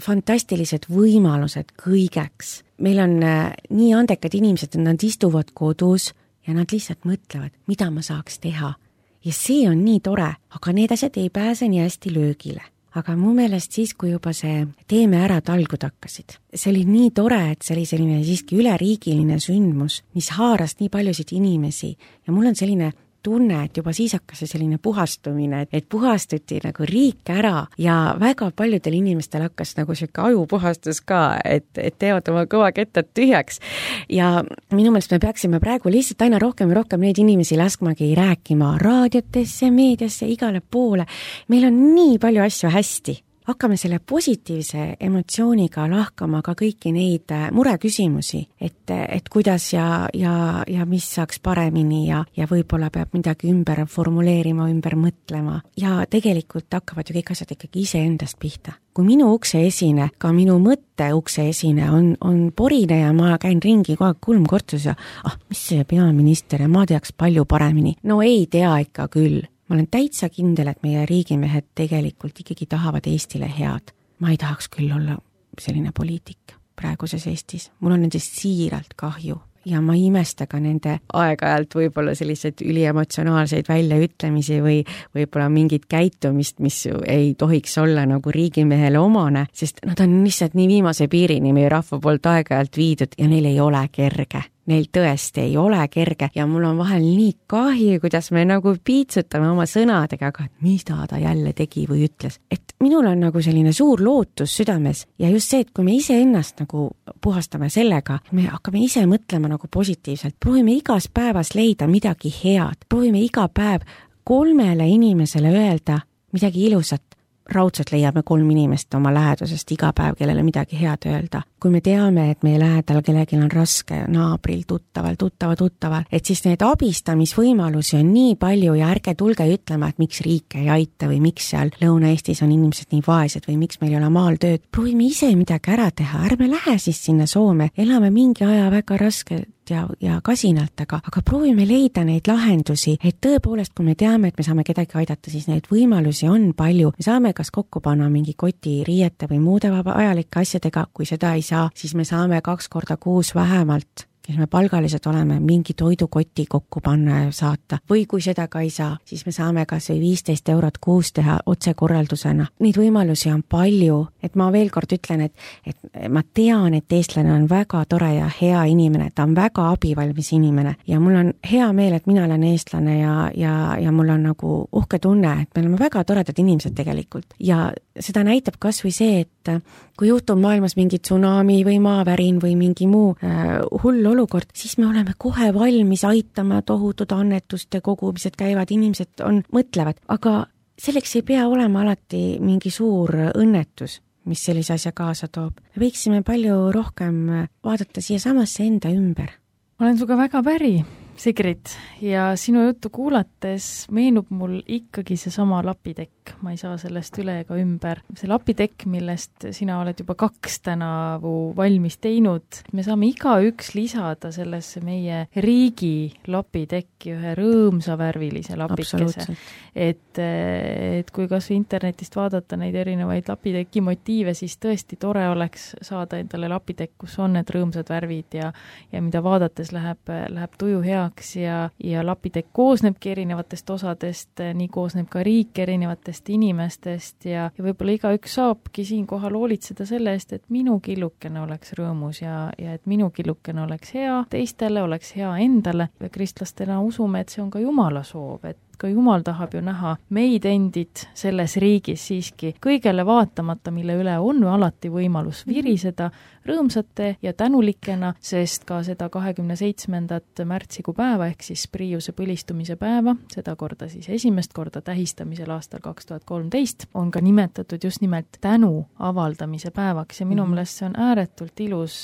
C: fantastilised võimalused kõigeks. Meil on nii andekad inimesed, et nad istuvad kodus ja nad lihtsalt mõtlevad, mida ma saaks teha. Ja see on nii tore, aga need asjad ei pääse nii hästi löögile. Aga mu meelest siis, kui juba see teeme ära talgud hakkasid. See oli nii tore, et see oli selline siiski üleriigiline sündmus, mis haaras nii paljusid inimesi ja mul on selline tunne, et juba siis hakkas see selline puhastumine, et puhastuti nagu riik ära ja väga paljudel inimestel hakkas nagu siuke ajupuhastus ka, et, et teevad oma kõva kettad tühjaks. Ja minu meelest me peaksime praegu lihtsalt aina rohkem ja rohkem neid inimesi laskmagi rääkima raadiotesse, meediasse, igale poole. Meil on nii palju asju hästi. hakkame selle positiivse emotsiooniga lahkama ka kõiki neid mureküsimusi, et, et kuidas ja, ja, ja mis saaks paremini ja, ja võib-olla peab midagi ümber formuleerima, ümber mõtlema ja tegelikult hakkavad ju kõik asjad ikkagi iseendast pihta. Kui minu ukse esine, ka minu mõtte ukse esine on, on porine ja ma käin ringi kogu aeg kulmkortsus ja ah, mis see peaminister ja ma teaks palju paremini. No ei tea ikka küll. Ma olen täitsa kindel, et meie riigimehed tegelikult ikkagi tahavad Eestile head. Ma ei tahaks küll olla selline poliitik praeguses Eestis. Mul on nendest siiralt kahju. Ja ma imesta ka nende aeg-ajalt võib-olla selliseid üliemotsionaalseid väljaütlemisi või võib-olla mingit käitumist, mis ei tohiks olla nagu riigimehele omane, sest nad on lihtsalt nii viimase piirini meie rahva poolt aeg-ajalt viidud ja neil ei ole kerge. Neil tõesti ei ole kerge ja mul on vahel nii kahju, kuidas me nagu piitsutame oma sõnadega, aga mida ta jälle tegi või ütles. Et minul on nagu selline suur lootus südames ja just see, et kui me ise ennast nagu puhastame sellega, me hakkame ise mõtlema nagu positiivselt, proovime igas päevas leida midagi head, proovime iga päev kolmele inimesele öelda midagi ilusat. Raudselt leiame kolm inimest oma lähedusest iga päev, kellele midagi head öelda. Kui me teame, et meie lähedal kellelgi on raske, naabril, tuttaval, tuttava, tuttaval, et siis need abistamisvõimalusi on nii palju ja ärge tulge ütlema, et miks riik ei aita või miks seal Lõuna-Eestis on inimesed nii vaesed või miks meil ei ole maal tööd. Proovime ise midagi ära teha, ärme lähe siis sinna Soome, elame mingi aja väga raske ja, ja kasinalt, aga, aga proovime leida neid lahendusi, et tõepoolest, kui me teame, et me saame kedagi aidata, siis neid võimalusi on palju. Me saame kas kokku panna mingi koti riiete või muude vajalike asjadega, kui seda ei saa, siis me saame kaks korda kuus vähemalt, kes me palgalised oleme, mingi toidukoti kokku panna ja saata. Või kui seda ka ei saa, siis me saame kas või viisteist eurot kuus teha otsekorraldusena. Neid võimalusi on palju, et ma veel kord ütlen, et, et ma tean, et eestlane on väga tore ja hea inimene, ta on väga abivalmis inimene ja mul on hea meel, et mina olen eestlane ja, ja, ja mul on nagu uhke tunne, et me oleme väga toredad inimesed tegelikult ja seda näitab kas või see, et kui juhtub maailmas mingi tsunami või maavärin või mingi muu äh, hull olukord, siis me oleme kohe valmis aitama, tohutud annetuste kogumised käivad, inimesed on, mõtlevad, aga selleks ei pea olema alati mingi suur õnnetus, mis sellise asja kaasa toob. Me võiksime palju rohkem vaadata siia samasse enda ümber.
B: Olen suga väga päri, Sigrid, ja sinu juttu kuulates meenub mul ikkagi see sama lapitekk. Ma ei saa sellest üle ega ümber. See lapitekk, millest sina oled juba kaks tänavu valmis teinud, me saame iga üks lisada sellesse meie riigi lapitekki ühe rõõmsa värvilise lapikese. Et, et kui kas internetist vaadata neid erinevaid lapiteki motiive, siis tõesti tore oleks saada endale lapitekk, kus on need rõõmsad värvid ja, ja mida vaadates läheb, läheb tuju hea ja, ja lapitekk koosnebki erinevatest osadest, nii koosneb ka riik erinevatest inimestest ja, ja võib-olla iga üks saabki siinkohal hoolitseda selle eest, et minu killukene oleks rõõmus ja, ja et minu killukene oleks hea teistele, oleks hea endale. Ja kristlastena usume, et see on ka Jumala soov, et ka Jumal tahab ju näha meid endid selles riigis siiski kõigele vaatamata, mille üle on alati võimalus viriseda rõõmsate ja tänulikena, sest ka seda kahekümne seitsmendat märtsikuu päeva ehk siis Priiuse põlistumise päeva, seda korda siis esimest korda tähistamisel aastal kaks tuhat kolmteist, on ka nimetatud just nimelt tänu avaldamise päevaks ja minu mm-hmm. meelest see on ääretult ilus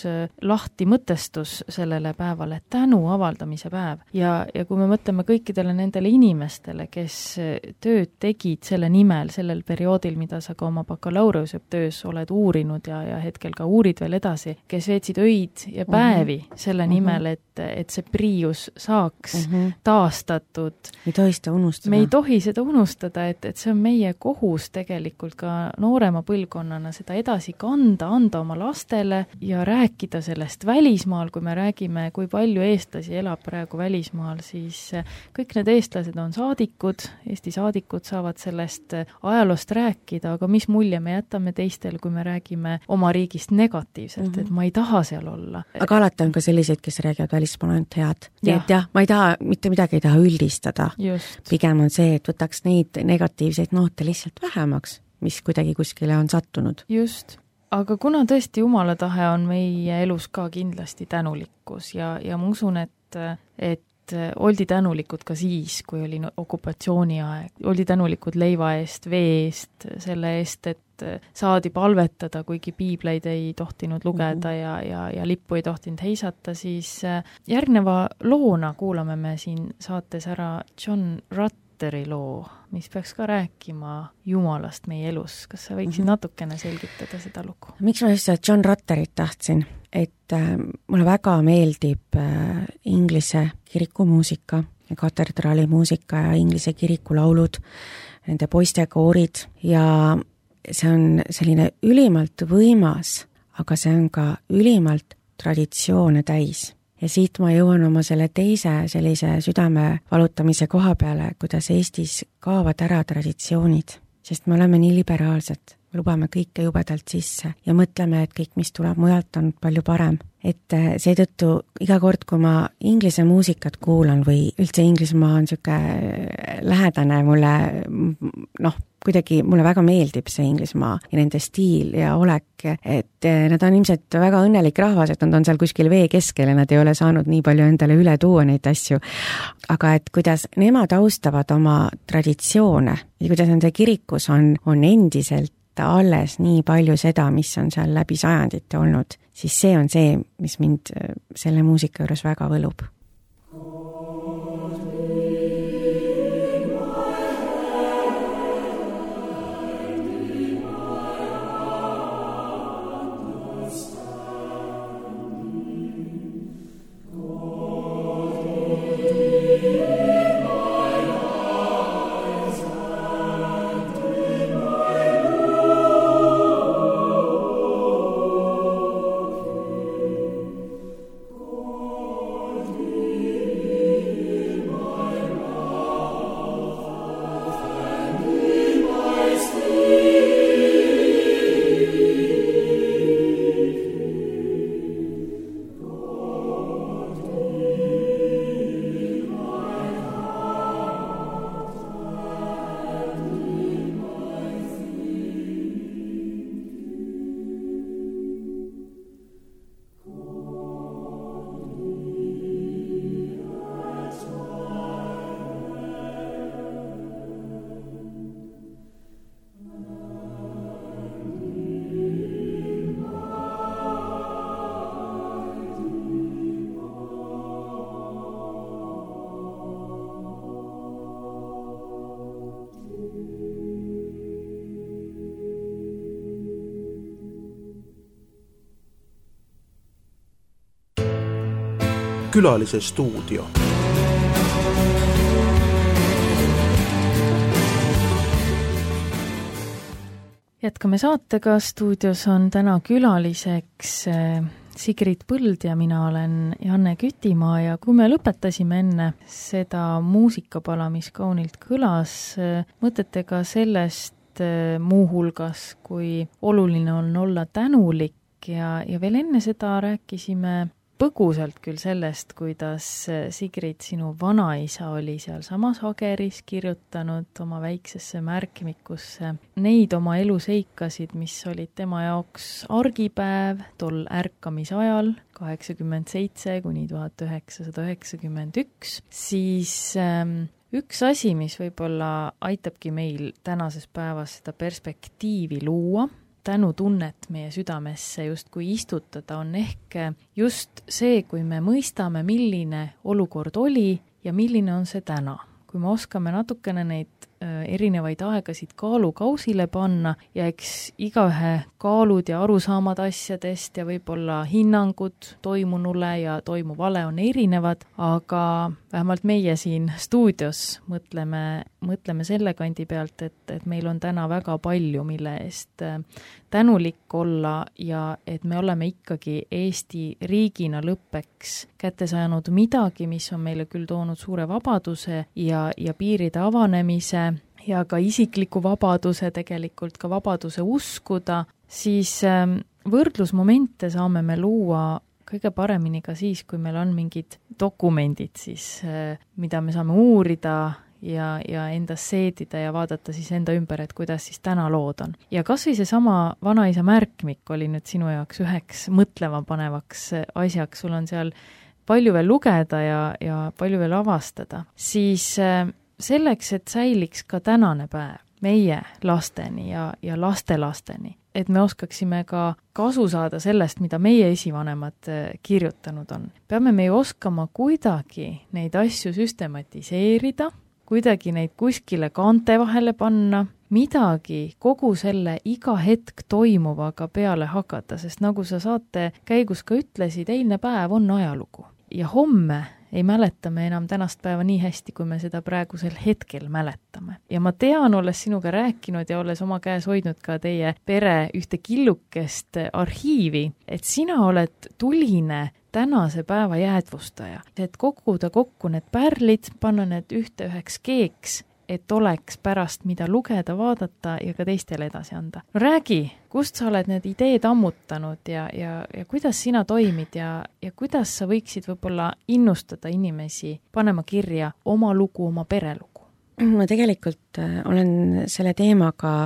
B: lahti mõtestus sellele päevale, tänu avaldamise päev. Ja, ja kui me mõtleme kõikidele nendele inimestele, kes tööd tegid selle nimel, sellel perioodil, mida sa ka oma bakalaureuse töös oled uurinud ja, ja hetkel ka uurid veel edasi, kes veetsid öid ja päevi mm-hmm. selle nimel, et, et see Priius saaks mm-hmm. taastatud.
C: ei tohi seda unustada.
B: Me ei tohi seda unustada, et, et see on meie kohus tegelikult ka noorema põlvkonnana seda edasi kanda, anda oma lastele ja rääkida sellest välismaal, kui me räägime, kui palju eestlasi elab praegu välismaal, siis kõik need eestlased on saadikud, Eesti saadikud saavad sellest ajaloost rääkida, aga mis mulje me jätame teistele, kui me räägime oma riigist negatiivselt, mm-hmm. et ma ei taha seal olla.
C: Aga alati on ka selliseid, kes räägivad välismaal ainult head. Ja. Et jah, ma ei taha, mitte midagi ei taha üldistada. Just. Pigem on see, et võtaks neid negatiivseid noote lihtsalt vähemaks, mis kuidagi kuskile on sattunud.
B: Just. Aga kuna tõesti Jumala tahe on meie elus ka kindlasti tänulikkus ja, ja ma usun, et, et oldi tänulikud ka siis, kui oli okupatsiooni aeg. Oldi tänulikud leiva eest, vee eest, selle eest, et saadi palvetada, kuigi piibleid ei tohtinud lugeda
C: Mhm.
B: ja, ja, ja lippu ei tohtinud heisata, siis järgneva loona kuulame me siin saates ära John Rutteri loo, mis peaks ka rääkima Jumalast meie elus. Kas sa võiksid
C: Mhm.
B: natukene selgitada seda lugu?
C: Miks ma just seda John Rutterit tahtsin? Et äh, mulle väga meeldib äh, inglise kirikumuusika ja katedraalimuusika ja inglise kirikulaulud, nende poistekoorid ja see on selline ülimalt võimas, aga see on ka ülimalt traditsioone täis. Ja siit ma jõuan oma selle teise sellise südame valutamise koha peale, kuidas Eestis kaovad ära traditsioonid, sest me oleme nii liberaalsed, lubame kõike jubedalt sisse ja mõtleme, et kõik, mis tuleb mujalt, on palju parem. Et seetõttu iga kord, kui ma inglise muusikat kuulan või üldse Inglismaa on niisugune lähedane mulle, noh, kuidagi mulle väga meeldib see Inglismaa ja nende stiil ja olek, et nad on ilmselt väga õnnelik rahvas, et nad on seal kuskil vee keskel ja nad ei ole saanud nii palju endale üle tuua neid asju. Aga et kuidas nemad austavad oma traditsioone ja kuidas nende kirikus on, on endiselt alles nii palju seda, mis on seal läbi sajandite olnud, siis see on see, mis mind selle muusika juures väga võlub.
A: Külalise stuudio.
B: Jätkame saatega, stuudios on täna külaliseks Sigrid Põld ja mina olen Janne Kütimaa ja kui me lõpetasime enne seda muusikapala, mis kaunilt kõlas, mõtetega sellest muuhulgas, kui oluline on olla tänulik ja, ja veel enne seda rääkisime põgusalt küll sellest, kuidas Sigrid, sinu vanaisa oli seal samas Hageris kirjutanud oma väiksesse märkmikusse neid oma eluseikasid, mis olid tema jaoks argipäev tol ärkamisajal kaheksakümmend seitse kuni tuhat üheksasada üheksakümmend üks, siis ähm, üks asi, mis võib-olla aitabki meil tänases päevas seda perspektiivi luua, tänutunnet meie südamesse justkui istutada, on ehk just see, kui me mõistame, milline olukord oli ja milline on see täna. Kui me oskame natukene neid erinevaid aegasid kaalukausile panna ja eks igaühe kaalud ja arusaamad asjadest ja võib-olla hinnangud toimunule ja toimuvale on erinevad, aga vähemalt meie siin stuudios mõtleme, mõtleme selle kandi pealt, et, et meil on täna väga palju, mille eest tänulik olla ja et me oleme ikkagi Eesti riigina lõppeks kätte saanud midagi, mis on meile küll toonud suure vabaduse ja, ja piiride avanemise ja ka isikliku vabaduse, tegelikult ka vabaduse uskuda, siis võrdlusmomente saame me luua kõige paremini ka siis, kui meil on mingid dokumendid, siis, mida me saame uurida ja, ja endas seedida ja vaadata siis enda ümber, et kuidas siis täna lood on. Ja kas või seesama vanaisa märkmik oli nüüd sinu jaoks üheks mõtlema panevaks asjaks, sul on seal palju veel lugeda ja, ja palju veel avastada, siis selleks, et säiliks ka tänane päev, meie lasteni ja, ja lastelasteni, et me oskaksime ka kasu saada sellest, mida meie esivanemad kirjutanud on. Peame me ju oskama kuidagi neid asju süstematiseerida, kuidagi neid kuskile kaante vahele panna, midagi kogu selle iga hetk toimuvaga peale hakata, sest nagu sa saate käigus ka ütlesid, eilne päev on ajalugu. Ja homme ei mäleta me enam tänast päeva nii hästi, kui me seda praegusel hetkel mäletame. Ja ma tean, olles sinuga rääkinud ja olles oma käes hoidnud ka teie pere ühte killukest arhiivi, et sina oled tuline tänase päeva jäädvustaja, et koguda kokku need pärlid, panna need ühte üheks keeks, et oleks pärast mida lugeda, vaadata ja ka teistele edasi anda. No räägi, kust sa oled need ideed ammutanud ja, ja, ja kuidas sina toimid ja, ja kuidas sa võiksid võib-olla innustada inimesi panema kirja oma lugu, oma perelugu?
C: Ma tegelikult olen selle teemaga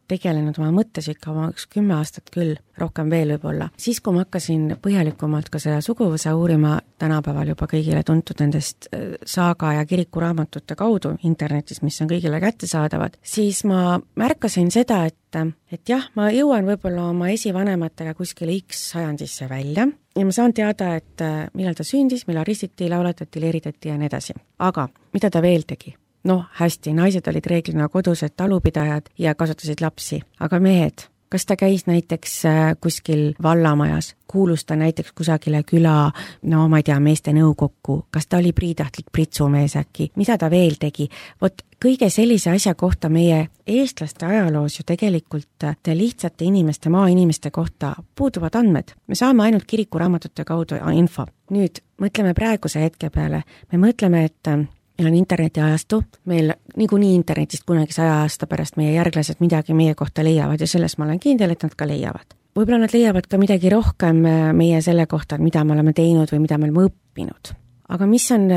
C: tegelenud oma mõttes ikka oma üks kümme aastat küll, rohkem veel võib-olla. Siis, kui ma hakkasin põhjalikumalt ka seda suguvõsa uurima tänapäeval juba kõigile tuntud nendest saaga ja kirikuraamatute kaudu internetis, mis on kõigile kättesaadavad, siis ma märkasin seda, et, et jah, ma jõuan võib-olla oma esivanematega kuskile X sajandisse välja ja ma saan teada, et millal ta sündis, millal ristiti, lauletati, leeritati ja nii edasi. Aga mida ta veel tegi? Noh, hästi, naised olid reeglina kodused talupidajad ja kasvatasid lapsi, aga mehed, kas ta käis näiteks kuskil vallamajas, kuulus ta näiteks kusagile küla, no ma ei tea, meeste nõukokku, kas ta oli priidahtlik pritsumees äkki, mida ta veel tegi? Vot kõige sellise asja kohta meie eestlaste ajaloos ju tegelikult lihtsate inimeste, maainimeste kohta puuduvad andmed. Me saame ainult kirikuraamatute kaudu info. Nüüd mõtleme praeguse hetke peale, me mõtleme, et meil on interneti ajastu, meil niikuinii internetist kunagi saja aasta pärast meie järglased midagi meie kohta leiavad ja selles ma olen kindel, et nad ka leiavad. Võib-olla nad leiavad ka midagi rohkem meie selle kohta, mida me oleme teinud või mida me oleme õppinud. Aga mis on,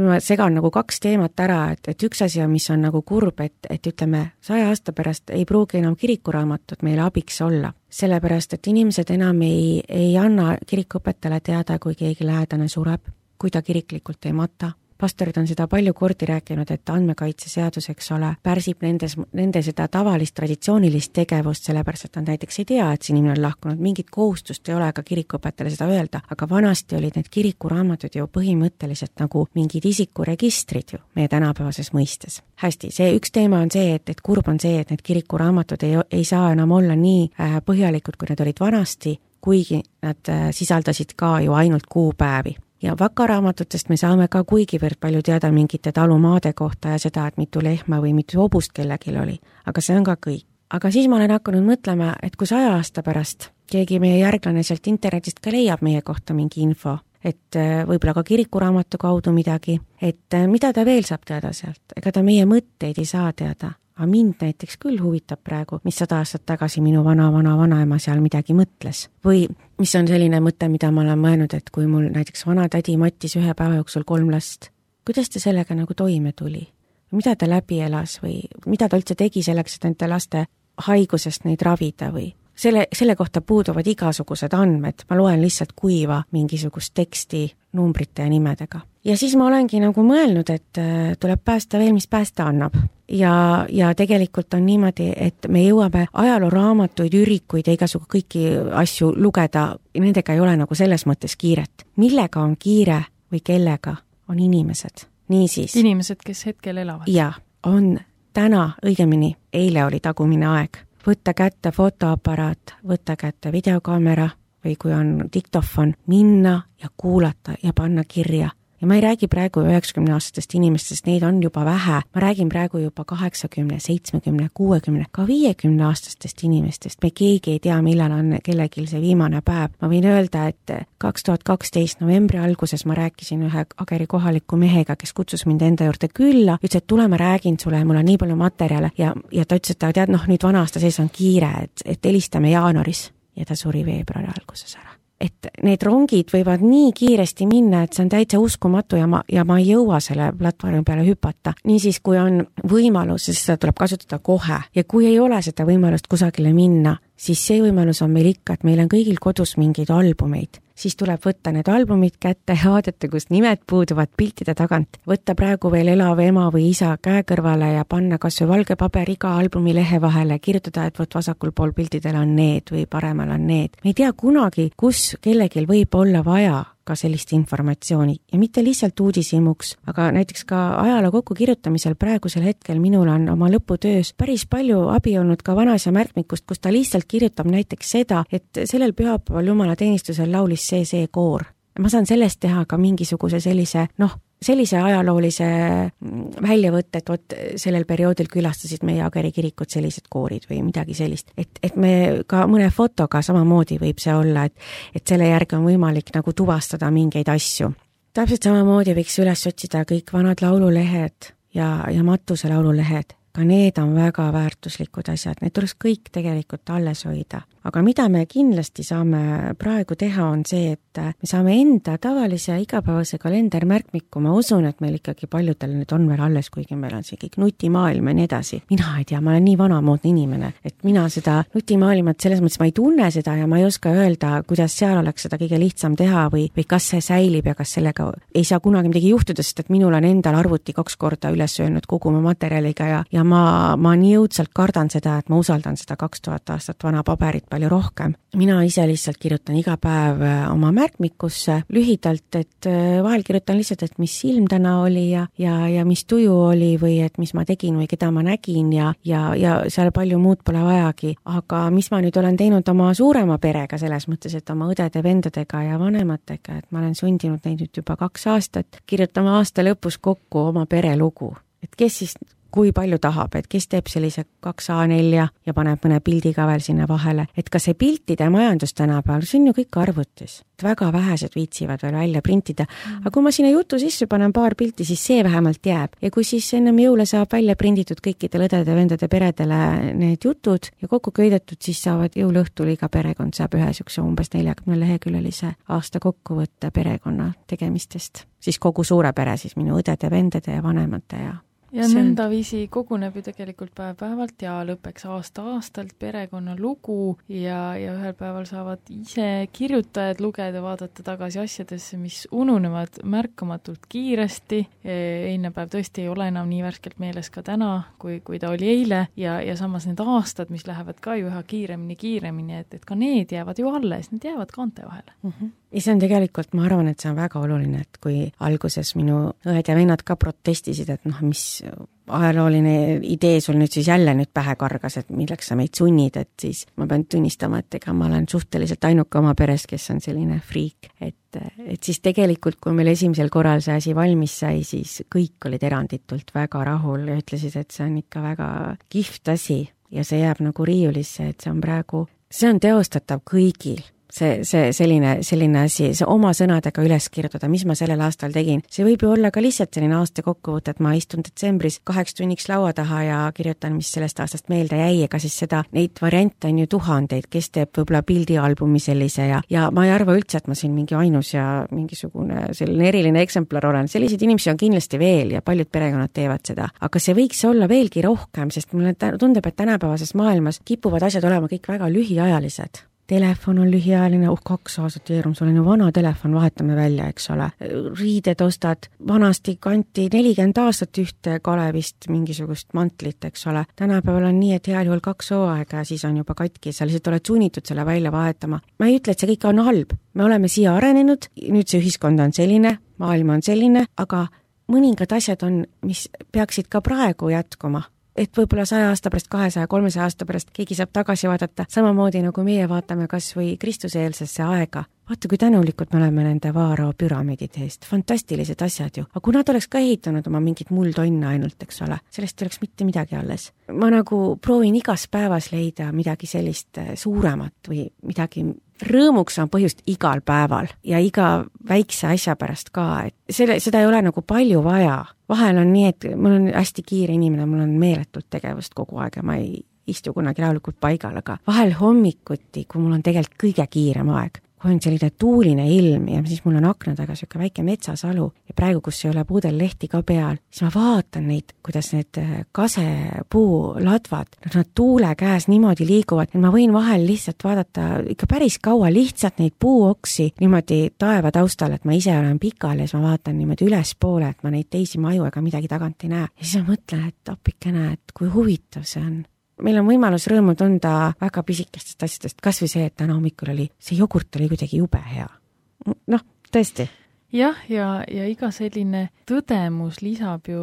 C: ma segan nagu kaks teemat ära, et, et üks asi on, mis on nagu kurb, et, et ütleme, saja aasta pärast ei pruugi enam kirikuraamatut meile abiks olla. Sellepärast, et inimesed enam ei, ei anna kirikuõpetajale teada, kui keegi lähedane sureb, kui ta kiriklikult ei mata. Pastorid on seda palju kordi rääkinud, et andmekaitseseadus, eks ole, pärsib nendes, nende seda tavalist traditsioonilist tegevust, sellepärast, et nad näiteks ei tea, et see inimene on lahkunud, mingit kohustust ei ole ka kirikuõpetajale seda öelda, aga vanasti olid need kirikuraamatud ju põhimõtteliselt nagu mingid isikuregistrid ju meie tänapäevases mõistes. Hästi, see üks teema on see, et, et kurb on see, et need kirikuraamatud ei, ei saa enam olla nii põhjalikud, kui need olid vanasti, kuigi nad sisaldasid ka ju ainult kuupäevi. Ja vakaraamatutest me saame ka kuigivõrd palju teada mingite talumaade kohta ja seda, et mitu lehma või mitu hobust kellegil oli. Aga see on ka kõik. Aga siis ma olen hakanud mõtlema, et kui saja aasta pärast keegi meie järglane sealt internetist ka leiab meie kohta mingi info, et võib-olla ka kirikuraamatu kaudu midagi, et mida ta veel saab teada sealt? Ega ta meie mõtteid ei saa teada. Aga mind näiteks küll huvitab praegu, mis sada aastat tagasi minu vana-vana-vanaema seal midagi mõtles. Või mis on selline mõte, mida ma olen mõelnud, et kui mul näiteks vana tädi mattis ühe päeva jooksul kolm last, kuidas ta sellega nagu toime tuli? Mida ta läbi elas või mida ta üldse tegi selleks, et nende laste haigusest neid ravida või? Selle, selle kohta puuduvad igasugused andmed, ma loen lihtsalt kuiva mingisugust teksti numbrite ja nimedega. Ja siis ma olengi nagu mõelnud, et tuleb päästa veel, mis päästa annab. Ja, ja tegelikult on niimoodi, et me jõuame ajalooraamatuid, ürikuid ja igasugu kõiki asju lugeda, nendega ei ole nagu selles mõttes kiiret. Millega on kiire või kellega on inimesed? Niisiis.
B: Inimesed, kes hetkel elavad.
C: Ja, on täna, õigemini, eile oli tagumine aeg. Võtta kätte fotoaparaat, võtta kätte videokaamera või kui on diktofon, minna ja kuulata ja panna kirja. Ja ma ei räägi praegu üheksakümne aastastest inimestest, neid on juba vähe. Ma räägin praegu juba kaheksakümne, seitsmekümne, kuuekümne, ka viiekümne aastastest inimestest. Me keegi ei tea, millal on kellegil see viimane päev. Ma võin öelda, et kaks tuhat kaksteist novembri alguses ma rääkisin ühe Ageri kohaliku mehega, kes kutsus mind enda juurde külla. Ütles, et tule, ma räägin sulle, mul on nii palju materjale ja, ja ta ütles, et ta tead, noh, nüüd vana aasta sees on kiire, et, et helistame jaanuaris ja ta suri veebruari alguses ära. Et need rongid võivad nii kiiresti minna, et see on täitsa uskumatu ja ma, ja ma ei jõua selle platvormi peale hüpata. Niisiis, kui on võimalus, siis seda tuleb kasutada kohe. Ja kui ei ole seda võimalust kusagile minna, siis see võimalus on meil ikka, et meil on kõigil kodus mingeid albumeid. siis tuleb võtta need albumid kätte ja vaadata, kus nimed puuduvad piltide tagant. Võtta praegu veel elav ema või isa käe kõrvale ja panna kas või valge paber iga albumi lehe vahele, kirjutada, et võt vasakul pool piltidel on need või paremal on need. Me ei tea kunagi, kus kellegil võib olla vaja ka sellist informatsiooni ja mitte lihtsalt uudishimuks, aga näiteks ka ajaloo kokkukirjutamisel praegusel hetkel minul on oma lõputöös päris palju abi olnud ka vanaisa märkmikust, kus ta lihtsalt kirjutab näiteks seda, et sellel pühapäeval jumalateenistusel laulis see see koor. Ma saan sellest teha ka mingisuguse sellise, noh, sellise ajaloolise väljavõtte, et vot sellel perioodil külastasid meie Ageri kirikut sellised koorid või midagi sellist. Et, et me ka mõne fotoga samamoodi võib see olla, et, et selle järgi on võimalik nagu tuvastada mingeid asju. Täpselt samamoodi võiks üles otsida kõik vanad laululehed ja, ja matuse laululehed. Ka need on väga väärtuslikud asjad, need tuleks kõik tegelikult alles hoida. Aga mida me kindlasti saame praegu teha, on see, et me saame enda tavalise igapäevase kalendermärkmiku, ma usun, et meil ikkagi paljudel need on veel alles, kuigi meil on see kõik nutimaailm ja nii edasi. Mina ei tea, ma olen nii vanamoodne inimene, et mina seda nutimaailmat selles mõttes ma ei tunne seda ja ma ei oska öelda, kuidas seal oleks seda kõige lihtsam teha või, või kas see säilib ja kas sellega ei saa kunagi midagi juhtuda, sest et minul on endal arvuti kaks korda üles öelnud kogu oma materjaliga ja, ja ma, ma nii õudselt kardan seda, et ma usaldan seda kaks tuhat aastat vana paberit palju rohkem. Mina ise lihtsalt kirjutan iga päev oma märkmikusse lühidalt, et vahel kirjutan lihtsalt, et mis ilm täna oli ja, ja, ja mis tuju oli või et mis ma tegin või keda ma nägin ja, ja, ja seal palju muud pole vajagi. Aga mis ma nüüd olen teinud oma suurema perega selles mõttes, et oma õdede, vendadega ja vanematega, et ma olen sundinud neid nüüd juba kaks aastat kirjutama aasta lõpus kokku oma perelugu. Et kes siis kui palju tahab, et kes teeb sellise kaks A neli ja paneb mõne pildi ka veel sinna vahele. Et ka see piltide majandus tänapäeval, see on ju kõik arvutis. Väga vähesed viitsivad veel välja printida. Aga kui ma sinna jutu sisse panen paar pilti, siis see vähemalt jääb. Ja kui siis ennem jõule saab välja prinditud kõikide õdede, vendade peredele need jutud ja kokku köidetud, siis saavad jõuluõhtul iga perekond saab ühe sükse umbes neljakümne leheküljelise aasta kokkuvõtte perekonna tegemistest. Siis kogu suure pere, siis minu õdede, vendade ja vanemate ja
B: ja nõnda viisi koguneb ju tegelikult päev-päevalt ja lõpeks aasta-aastalt perekonna lugu ja, ja ühel päeval saavad ise kirjutajad lugeda, vaadata tagasi asjadesse, mis ununevad märkamatult kiiresti. Eilne päev tõesti ei ole enam nii värskelt meeles ka täna, kui, kui ta oli eile ja, ja samas need aastad, mis lähevad ka ju üha kiiremini, kiiremini, et, et ka need jäävad ju alles, need jäävad kaante vahele.
C: Mm -hmm. Ja see on tegelikult, ma arvan, et see on väga oluline, et kui alguses minu õed ja vennad ka protestisid, et noh, mis ajalooline idee sul nüüd siis jälle nüüd pähe kargas, et milleks sa meid sunnid, et siis ma pean tunnistama, et ega ma olen suhteliselt ainuke oma peres, kes on selline friik, et, et siis tegelikult, kui meil esimesel korral see asi valmis sai, siis kõik olid eranditult väga rahul ja ütlesid, et see on ikka väga kihvt asi ja see jääb nagu riiulisse, et see on praegu, see on teostatav kõigil. See, see selline, selline asi, see oma sõnadega üles kirjutada, mis ma sellel aastal tegin. See võib ju olla ka lihtsalt selline aasta kokkuvõte, et ma istun detsembris kaheks tunniks laua taha ja kirjutan, mis sellest aastast meelde jäi, ega siis seda, neid variante on ju tuhandeid, kes teeb võib-olla pildialbumi sellise ja, ja ma ei arva üldse, et ma siin mingi ainus ja mingisugune selline eriline eksemplar olen. Selliseid inimesi on kindlasti veel ja paljud perekonnad teevad seda. Aga see võiks olla veelgi rohkem, sest mulle tundub, et tänapäevases maailmas kipuvad asjad olema kõik väga lühiajalised. Telefon on lühiajaline, uh, kaks aastat jeerum, sul on ju vana telefon, vahetame välja, eks ole. Riided ostad, vanasti kanti nelikümmend aastat ühte Kalevist mingisugust mantlit, eks ole. Tänapäeval on nii, et heal juhul kaks hooaega ja siis on juba katki, sa lihtsalt oled sunnitud selle välja vahetama. Ma ei ütle, et see kõik on halb. Me oleme siia arenenud, nüüd see ühiskond on selline, maailm on selline, aga mõningad asjad on, mis peaksid ka praegu jätkuma. Et võib-olla saja aasta pärast, kahesaja, kolmesaja aasta pärast keegi saab tagasi vaadata, samamoodi nagu meie vaatame kas või Kristuseelsesse aega. Vaata, kui tänulikud me oleme nende Vaarao püramiidide eest. Fantastilised asjad ju. Aga kui nad oleks ka ehitanud oma mingit muldonne ainult, eks ole, sellest oleks mitte midagi alles. Ma nagu proovin igas päevas leida midagi sellist suuremat või midagi rõõmuks on põhjust igal päeval ja iga väikse asja pärast ka, et selle, seda ei ole nagu palju vaja. Vahel on nii, et mul on hästi kiire inimene, mul on meeletult tegevust kogu aeg ja ma ei istu kunagi rahulikult paigal, aga vahel hommikuti, kui mul on tegelikult kõige kiirem aeg, kui on selline tuuline ilm ja siis mul on akna taga siuke väike metsasalu ja praegu, kus ei ole puudel lehti ka peal, siis ma vaatan neid, kuidas need kasepuu ladvad, nad tuule käes niimoodi liiguvad, et ma võin vahel lihtsalt vaadata ikka päris kaua lihtsalt neid puuoksi niimoodi taeva taustal, et ma ise olen pikal ja siis ma vaatan niimoodi ülespoole, et ma neid teisi maju ega midagi tagant ei näe. Ja siis ma mõtlen, et appikene, et kui huvitav see on. Meil on võimalus rõõmu tunda väga pisikestest asjadest, kas või see, et täna hommikul oli, see jogurt oli kuidagi jube hea. Noh, tõesti.
B: Jah, ja, ja iga selline tõdemus lisab ju,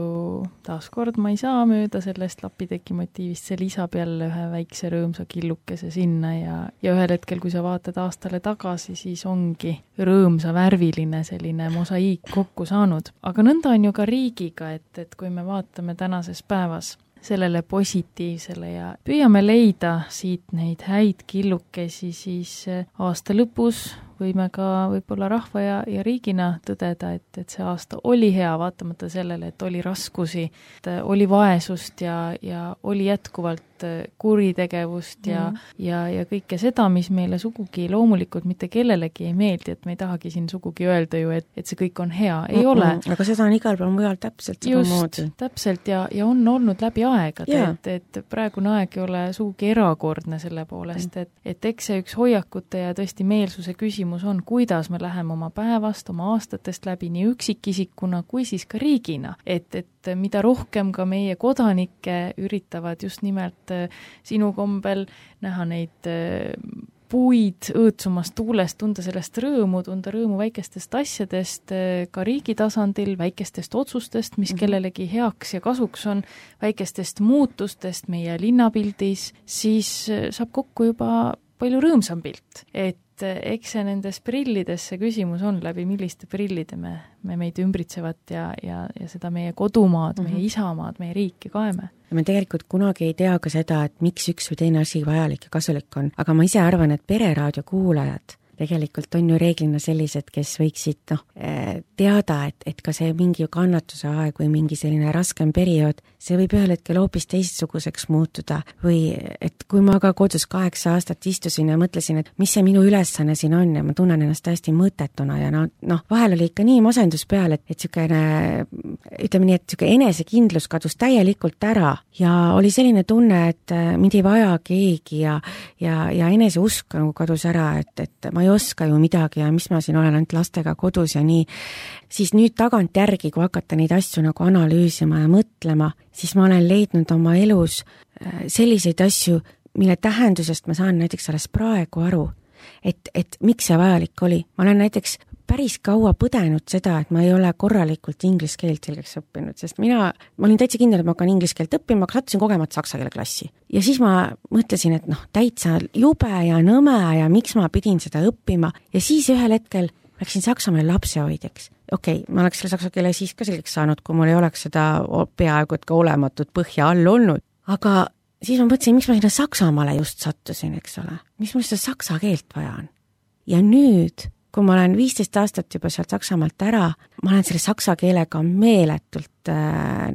B: taaskord ma ei saa mööda sellest lapiteki motiivist, see lisab jälle ühe väikse rõõmsa killukese sinna ja, ja ühel hetkel, kui sa vaatad aastale tagasi, siis ongi rõõmsa värviline selline mosaiik kokku saanud. Aga nõnda on ju ka riigiga, et, et kui me vaatame tänases päevas sellele positiivsele ja püüame leida siit neid häid killukesi, siis aasta lõpus võime ka võib-olla rahva ja, ja riigina tõdeda, et, et see aasta oli hea, vaatamata sellele, et oli raskusi, et oli vaesust ja, ja oli jätkuvalt kuritegevust ja, mm. ja, ja kõike seda, mis meile sugugi loomulikult mitte kellelegi ei meeldi, et me ei tahagi siin sugugi öelda ju, et, et see kõik on hea, ei mm-hmm. ole.
C: Aga seda on igal pool mujal täpselt seda moodi.
B: Just, täpselt ja, ja on olnud läbi aegade, yeah. et, et praegune aeg ei ole sugugi erakordne selle poolest, et, et eks see üks hoiakute ja tõesti meelsuse küsimus on, kuidas me läheme oma päevast, oma aastatest läbi nii üksikisikuna kui siis ka riigina, et, et mida rohkem ka meie kodanikke üritavad just nimelt sinu kombel näha neid puid õõtsumast tuulest, tunda sellest rõõmu, tunda rõõmu väikestest asjadest, ka riigi tasandil, väikestest otsustest, mis kellelegi heaks ja kasuks on, väikestest muutustest meie linnapildis, siis saab kokku juba palju rõõmsam pilt, et eks see nendes prillides see küsimus on, läbi milliste prillide me, me meid ümbritsevat ja, ja, ja seda meie kodumaad, mm-hmm. meie isamaad, meie riiki kaeme.
C: Me tegelikult kunagi ei tea ka seda, et miks üks või teine asi vajalik ja kasulik on, aga ma ise arvan, et pereraadio kuulajad tegelikult on ju reeglina sellised, kes võiksid noh, teada, et, et ka see mingi kannatuse aeg või mingi selline raskem periood, see võib ühel hetkel hoopis teistsuguseks muutuda või et kui ma ka kodus kaheksa aastat istusin ja mõtlesin, et mis see minu ülesanne siin on ja ma tunnen ennast täiesti mõttetuna ja noh, no, vahel oli ikka nii masendus peal, et, et sükene, ütleme nii, et süke enesekindlus kadus täielikult ära ja oli selline tunne, et mind ei vaja keegi ja, ja, ja eneseusk nagu kadus ära, et, et ma ei oska ju midagi ja mis ma siin olen ainult lastega kodus ja nii, siis nüüd tagant järgi, kui hakata neid asju nagu analüüsima ja mõtlema, siis ma olen leidnud oma elus selliseid asju, mille tähendusest ma saan näiteks alles praegu aru, et, et miks see vajalik oli. Ma olen näiteks päris kaua põdenud seda, et ma ei ole korralikult inglise keelt selgeks õppinud, sest mina, ma olin täitsa kindel, et ma hakkan inglise keelt õppima, aga sattusin kogemata saksa keele klassi. Ja siis ma mõtlesin, et noh, täitsa jube ja nõme ja miks ma pidin seda õppima ja siis ühel hetkel läksin Saksamaale lapsehoidjaks. Okei, okay, ma oleks selle saksa keele siis ka selgeks saanud, kui mul ei oleks seda peaaegu et ka olematut põhja all olnud. Aga siis ma mõtlesin, miks ma sinna Saksamaale just sattusin, eks ole. Mis mul seda saksa keelt vaja on? Ja nüüd kui ma olen viisteist aastat juba sealt Saksamaalt ära, ma olen selle saksa keelega meeletult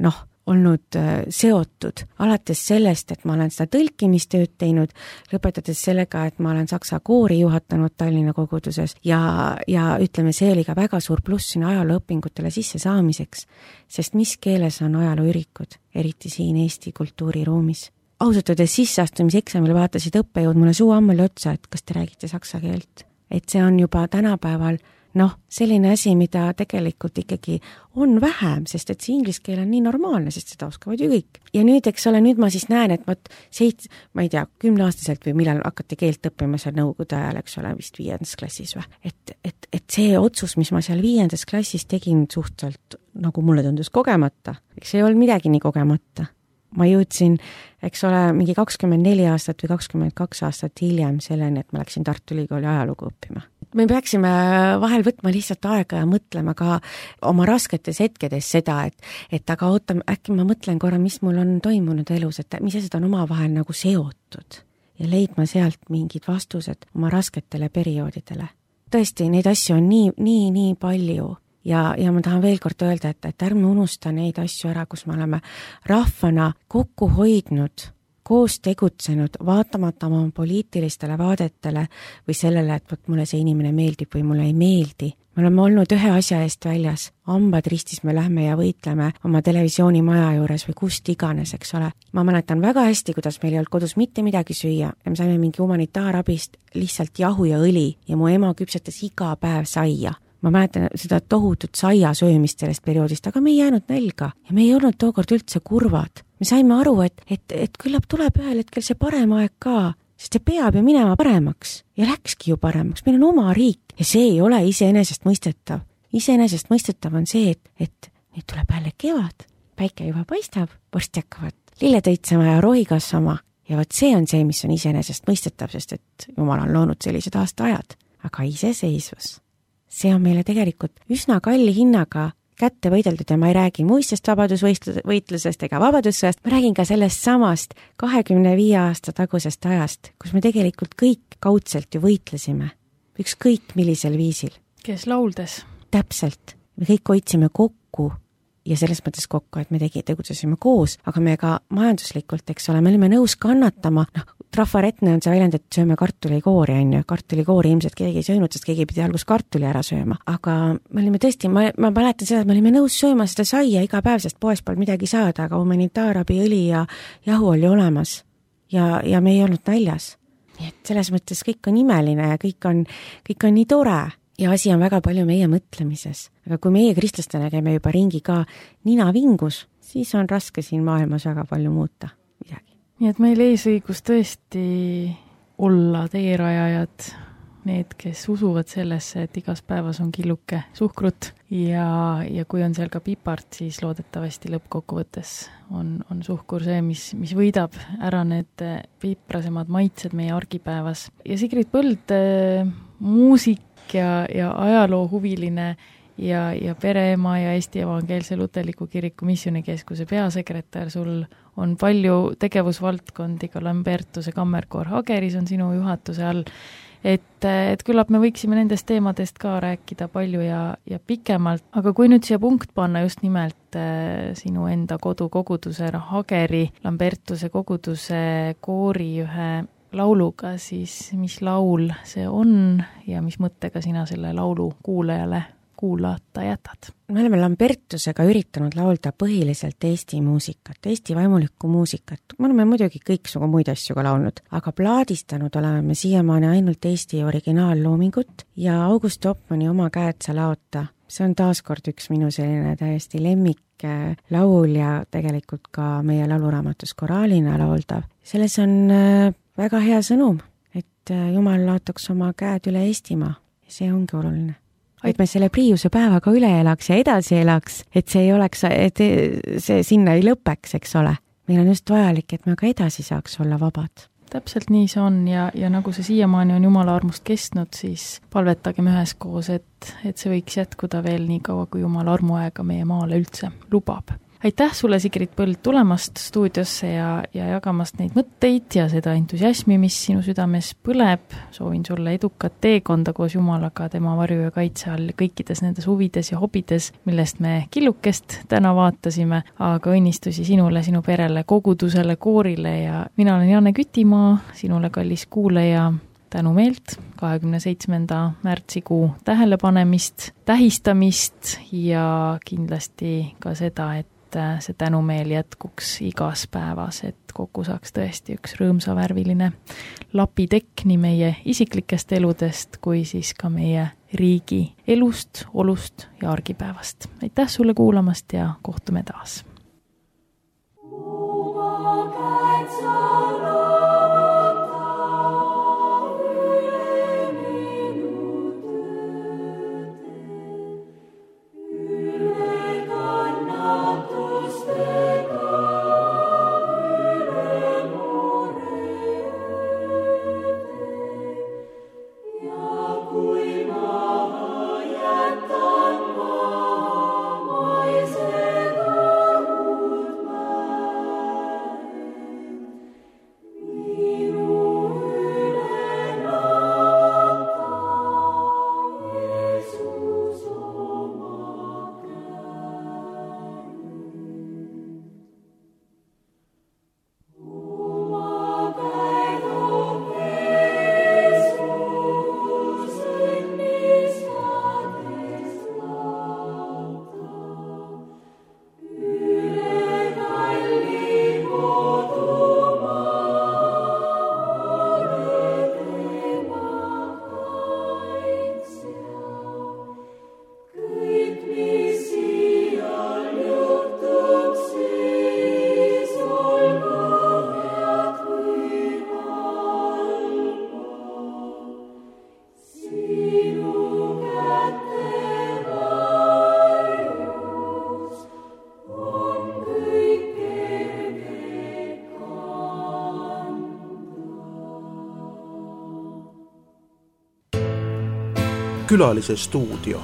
C: noh, olnud seotud. Alates sellest, et ma olen seda tõlkimistööd teinud, lõpetades sellega, et ma olen saksa koori juhatanud Tallinna koguduses ja, ja ütleme, see oli ka väga suur pluss sinna ajalooõpingutele sisse saamiseks, sest mis keeles on ajalooürikud, eriti siin Eesti kultuuriruumis. Ausalt öeldes sisseastumiseksamil vaatasid õppejõud mulle suu ammuli otsa, et kas te räägite saksa keelt. Et see on juba tänapäeval noh, selline asi, mida tegelikult ikkagi on vähem, sest et see inglise keel on nii normaalne, sest seda oskavad ju kõik. Ja nüüd, eks ole, nüüd ma siis näen, et võt seit, ma ei tea, kümneaastaselt või millal hakati keelt õppima seal nõukogude ajal, eks ole, vist viiendas klassis või. Et, et, et see otsus, mis ma seal viiendas klassis tegin suhteliselt, nagu mulle tundus kogemata, eks ei olnud midagi nii kogemata. Ma jõudsin, eks ole, mingi kakskümmend neli aastat või kakskümmend kaks aastat hiljem selleni, et ma läksin Tartu Ülikooli ajalugu õppima. Me peaksime vahel võtma lihtsalt aega ja mõtlema ka oma rasketes hetkedes seda, et, et aga oota, äkki ma mõtlen korra, mis mul on toimunud elus, et mis asjad on omavahel nagu seotud ja leidma sealt mingid vastused oma rasketele perioodidele. Tõesti, neid asju on nii, nii, nii palju. Ja, ja ma tahan veel kord öelda, et, et ärme unusta neid asju ära, kus me oleme rahvana kokku hoidnud koos tegutsenud, vaatamata oma poliitilistele vaadetele või sellele, et võt mulle see inimene meeldib või mulle ei meeldi. Me oleme olnud ühe asja eest väljas, hambad ristis me lähme ja võitleme oma televisioonimaja juures või kust iganes, eks ole. Ma mäletan väga hästi, kuidas meil ei olnud kodus mitte midagi süüa ja me saime mingi humanitaarabist lihtsalt jahu ja õli ja mu ema küpsetas iga päev saia. Ma mäletan seda tohutut saia söömist sellest perioodist, aga me ei jäänud nälga ja me ei olnud tookord üldse kurvad. Me saime aru, et, et, et küllap tuleb ühel hetkel see parem aeg ka, sest see peab ju minema paremaks ja läkski ju paremaks. Meil on oma riik ja see ei ole iseenesest mõistetav. Iseenesest mõistetav on see, et, et nüüd tuleb jälle kevad, päike juba paistab, varsti hakkavad lilled õitsema ja rohi kasvama ja vot see on see, mis on iseenesest mõistetav, sest et Jumal on loonud sellised aastaajad. Aga iseseisvus, see on meile tegelikult üsna kalli hinnaga kätte võideldud ja ma ei räägi muistest vabadusvõitlusest ega vabadussõjast, ma räägin ka sellest samast kahekümne viie aasta tagusest ajast, kus me tegelikult kõik kaudselt ju võitlesime, ükskõik millisel viisil.
B: Kes lauldes?
C: Täpselt. Me kõik hoidsime kokku ja selles mõttes kokku, et me tegi, tegutsesime koos, aga me ka majanduslikult, eks ole, me olime nõus kannatama, noh, trafaretne on see väljend, et sööme kartulikoori, on ju, kartulikoori ilmselt keegi ei söönud, sest keegi pidi algus kartuli ära sööma, aga me olime tõesti, ma, ma mäletan seda, et me olime nõus sööma seda saia iga päev, sest poest polnud midagi saada, aga humanitaarabi, õli ja jahu oli olemas ja, ja me ei olnud näljas. Nii et selles mõttes kõik on imeline ja kõik on, kõik on nii tore ja asi on väga palju meie mõtlemises. Aga kui meie kristlastena käime juba ringi ka nina vingus, siis on raske siin maailmas väga palju muuta midagi.
B: Nii et meil eesõigus tõesti olla teerajajad, need, kes usuvad sellesse, et igas päevas on killuke suhkrut ja, ja kui on seal ka pipart, siis loodetavasti lõppkokkuvõttes on, on suhkur see, mis, mis võidab ära need piprasemad maitsed meie argipäevas. Ja Sigrid Põld, muusik ja, ja ajaloohuviline ja, ja pereema ja Eesti Evangeelse Luterliku Kiriku Missioonikeskuse peasekretär, sul on palju tegevusvaldkondi, ka Lambertuse kammerkoor Hageris on sinu juhatuse all, et, et küllap me võiksime nendest teemadest ka rääkida palju ja, ja pikemalt, aga kui nüüd siia punkt panna just nimelt äh, sinu enda kodukoguduse Hageri Lambertuse koguduse koori ühe lauluga, siis mis laul see on ja mis mõttega sina selle laulu kuulajale kuulata jätad?
C: Me oleme Lambertusega üritanud laulda põhiliselt Eesti muusikat, Eesti vaimulikku muusikat. Me oleme muidugi kõiksugu muid asju ka laulnud, aga plaadistanud oleme me siiamaani ainult Eesti originaalloomingut ja August Topmani Oma käed sa laota. See on taaskord üks minu selline täiesti lemmik laul ja tegelikult ka meie lauluraamatus koraalina lauldav. Selles on väga hea sõnum, et Jumal laotaks oma käed üle Eestimaa ja see ongi oluline. Et me selle Priiuse päevaga üle elaks ja edasi elaks, et see ei oleks, et see sinna ei lõpeks, eks ole. Meil on just vajalik, et me ka edasi saaks olla vabad.
B: Täpselt nii see on ja, ja nagu see siiamaani on Jumala armust kestnud, siis palvetagem üheskoos, et, et see võiks jätkuda veel nii kaua, kui Jumala armuaega meie maale üldse lubab. Aitäh sulle, Sigrid Põld, tulemast stuudiosse ja, ja jagamast neid mõtteid ja seda entusiasmi, mis sinu südames põleb. Soovin sulle edukat teekonda koos Jumalaga, tema varju ja kaitse all kõikides nendes huvides ja hobides, millest me killukest täna vaatasime, aga õnnistusi sinule, sinu perele, kogudusele, koorile ja mina olen Janne Kütimaa, sinule kallis kuulaja, tänu meelt kahekümne seitsmenda märtsikuu tähelepanemist, tähistamist ja kindlasti ka seda, et see tänumeel jätkuks igas päevas, et kokku saaks tõesti üks rõõmsavärviline lapitekk nii meie isiklikest eludest kui siis ka meie riigi elust, olust ja argipäevast. Aitäh sulle kuulamast ja kohtume taas!
D: Thank you.
A: Külalise stuudio.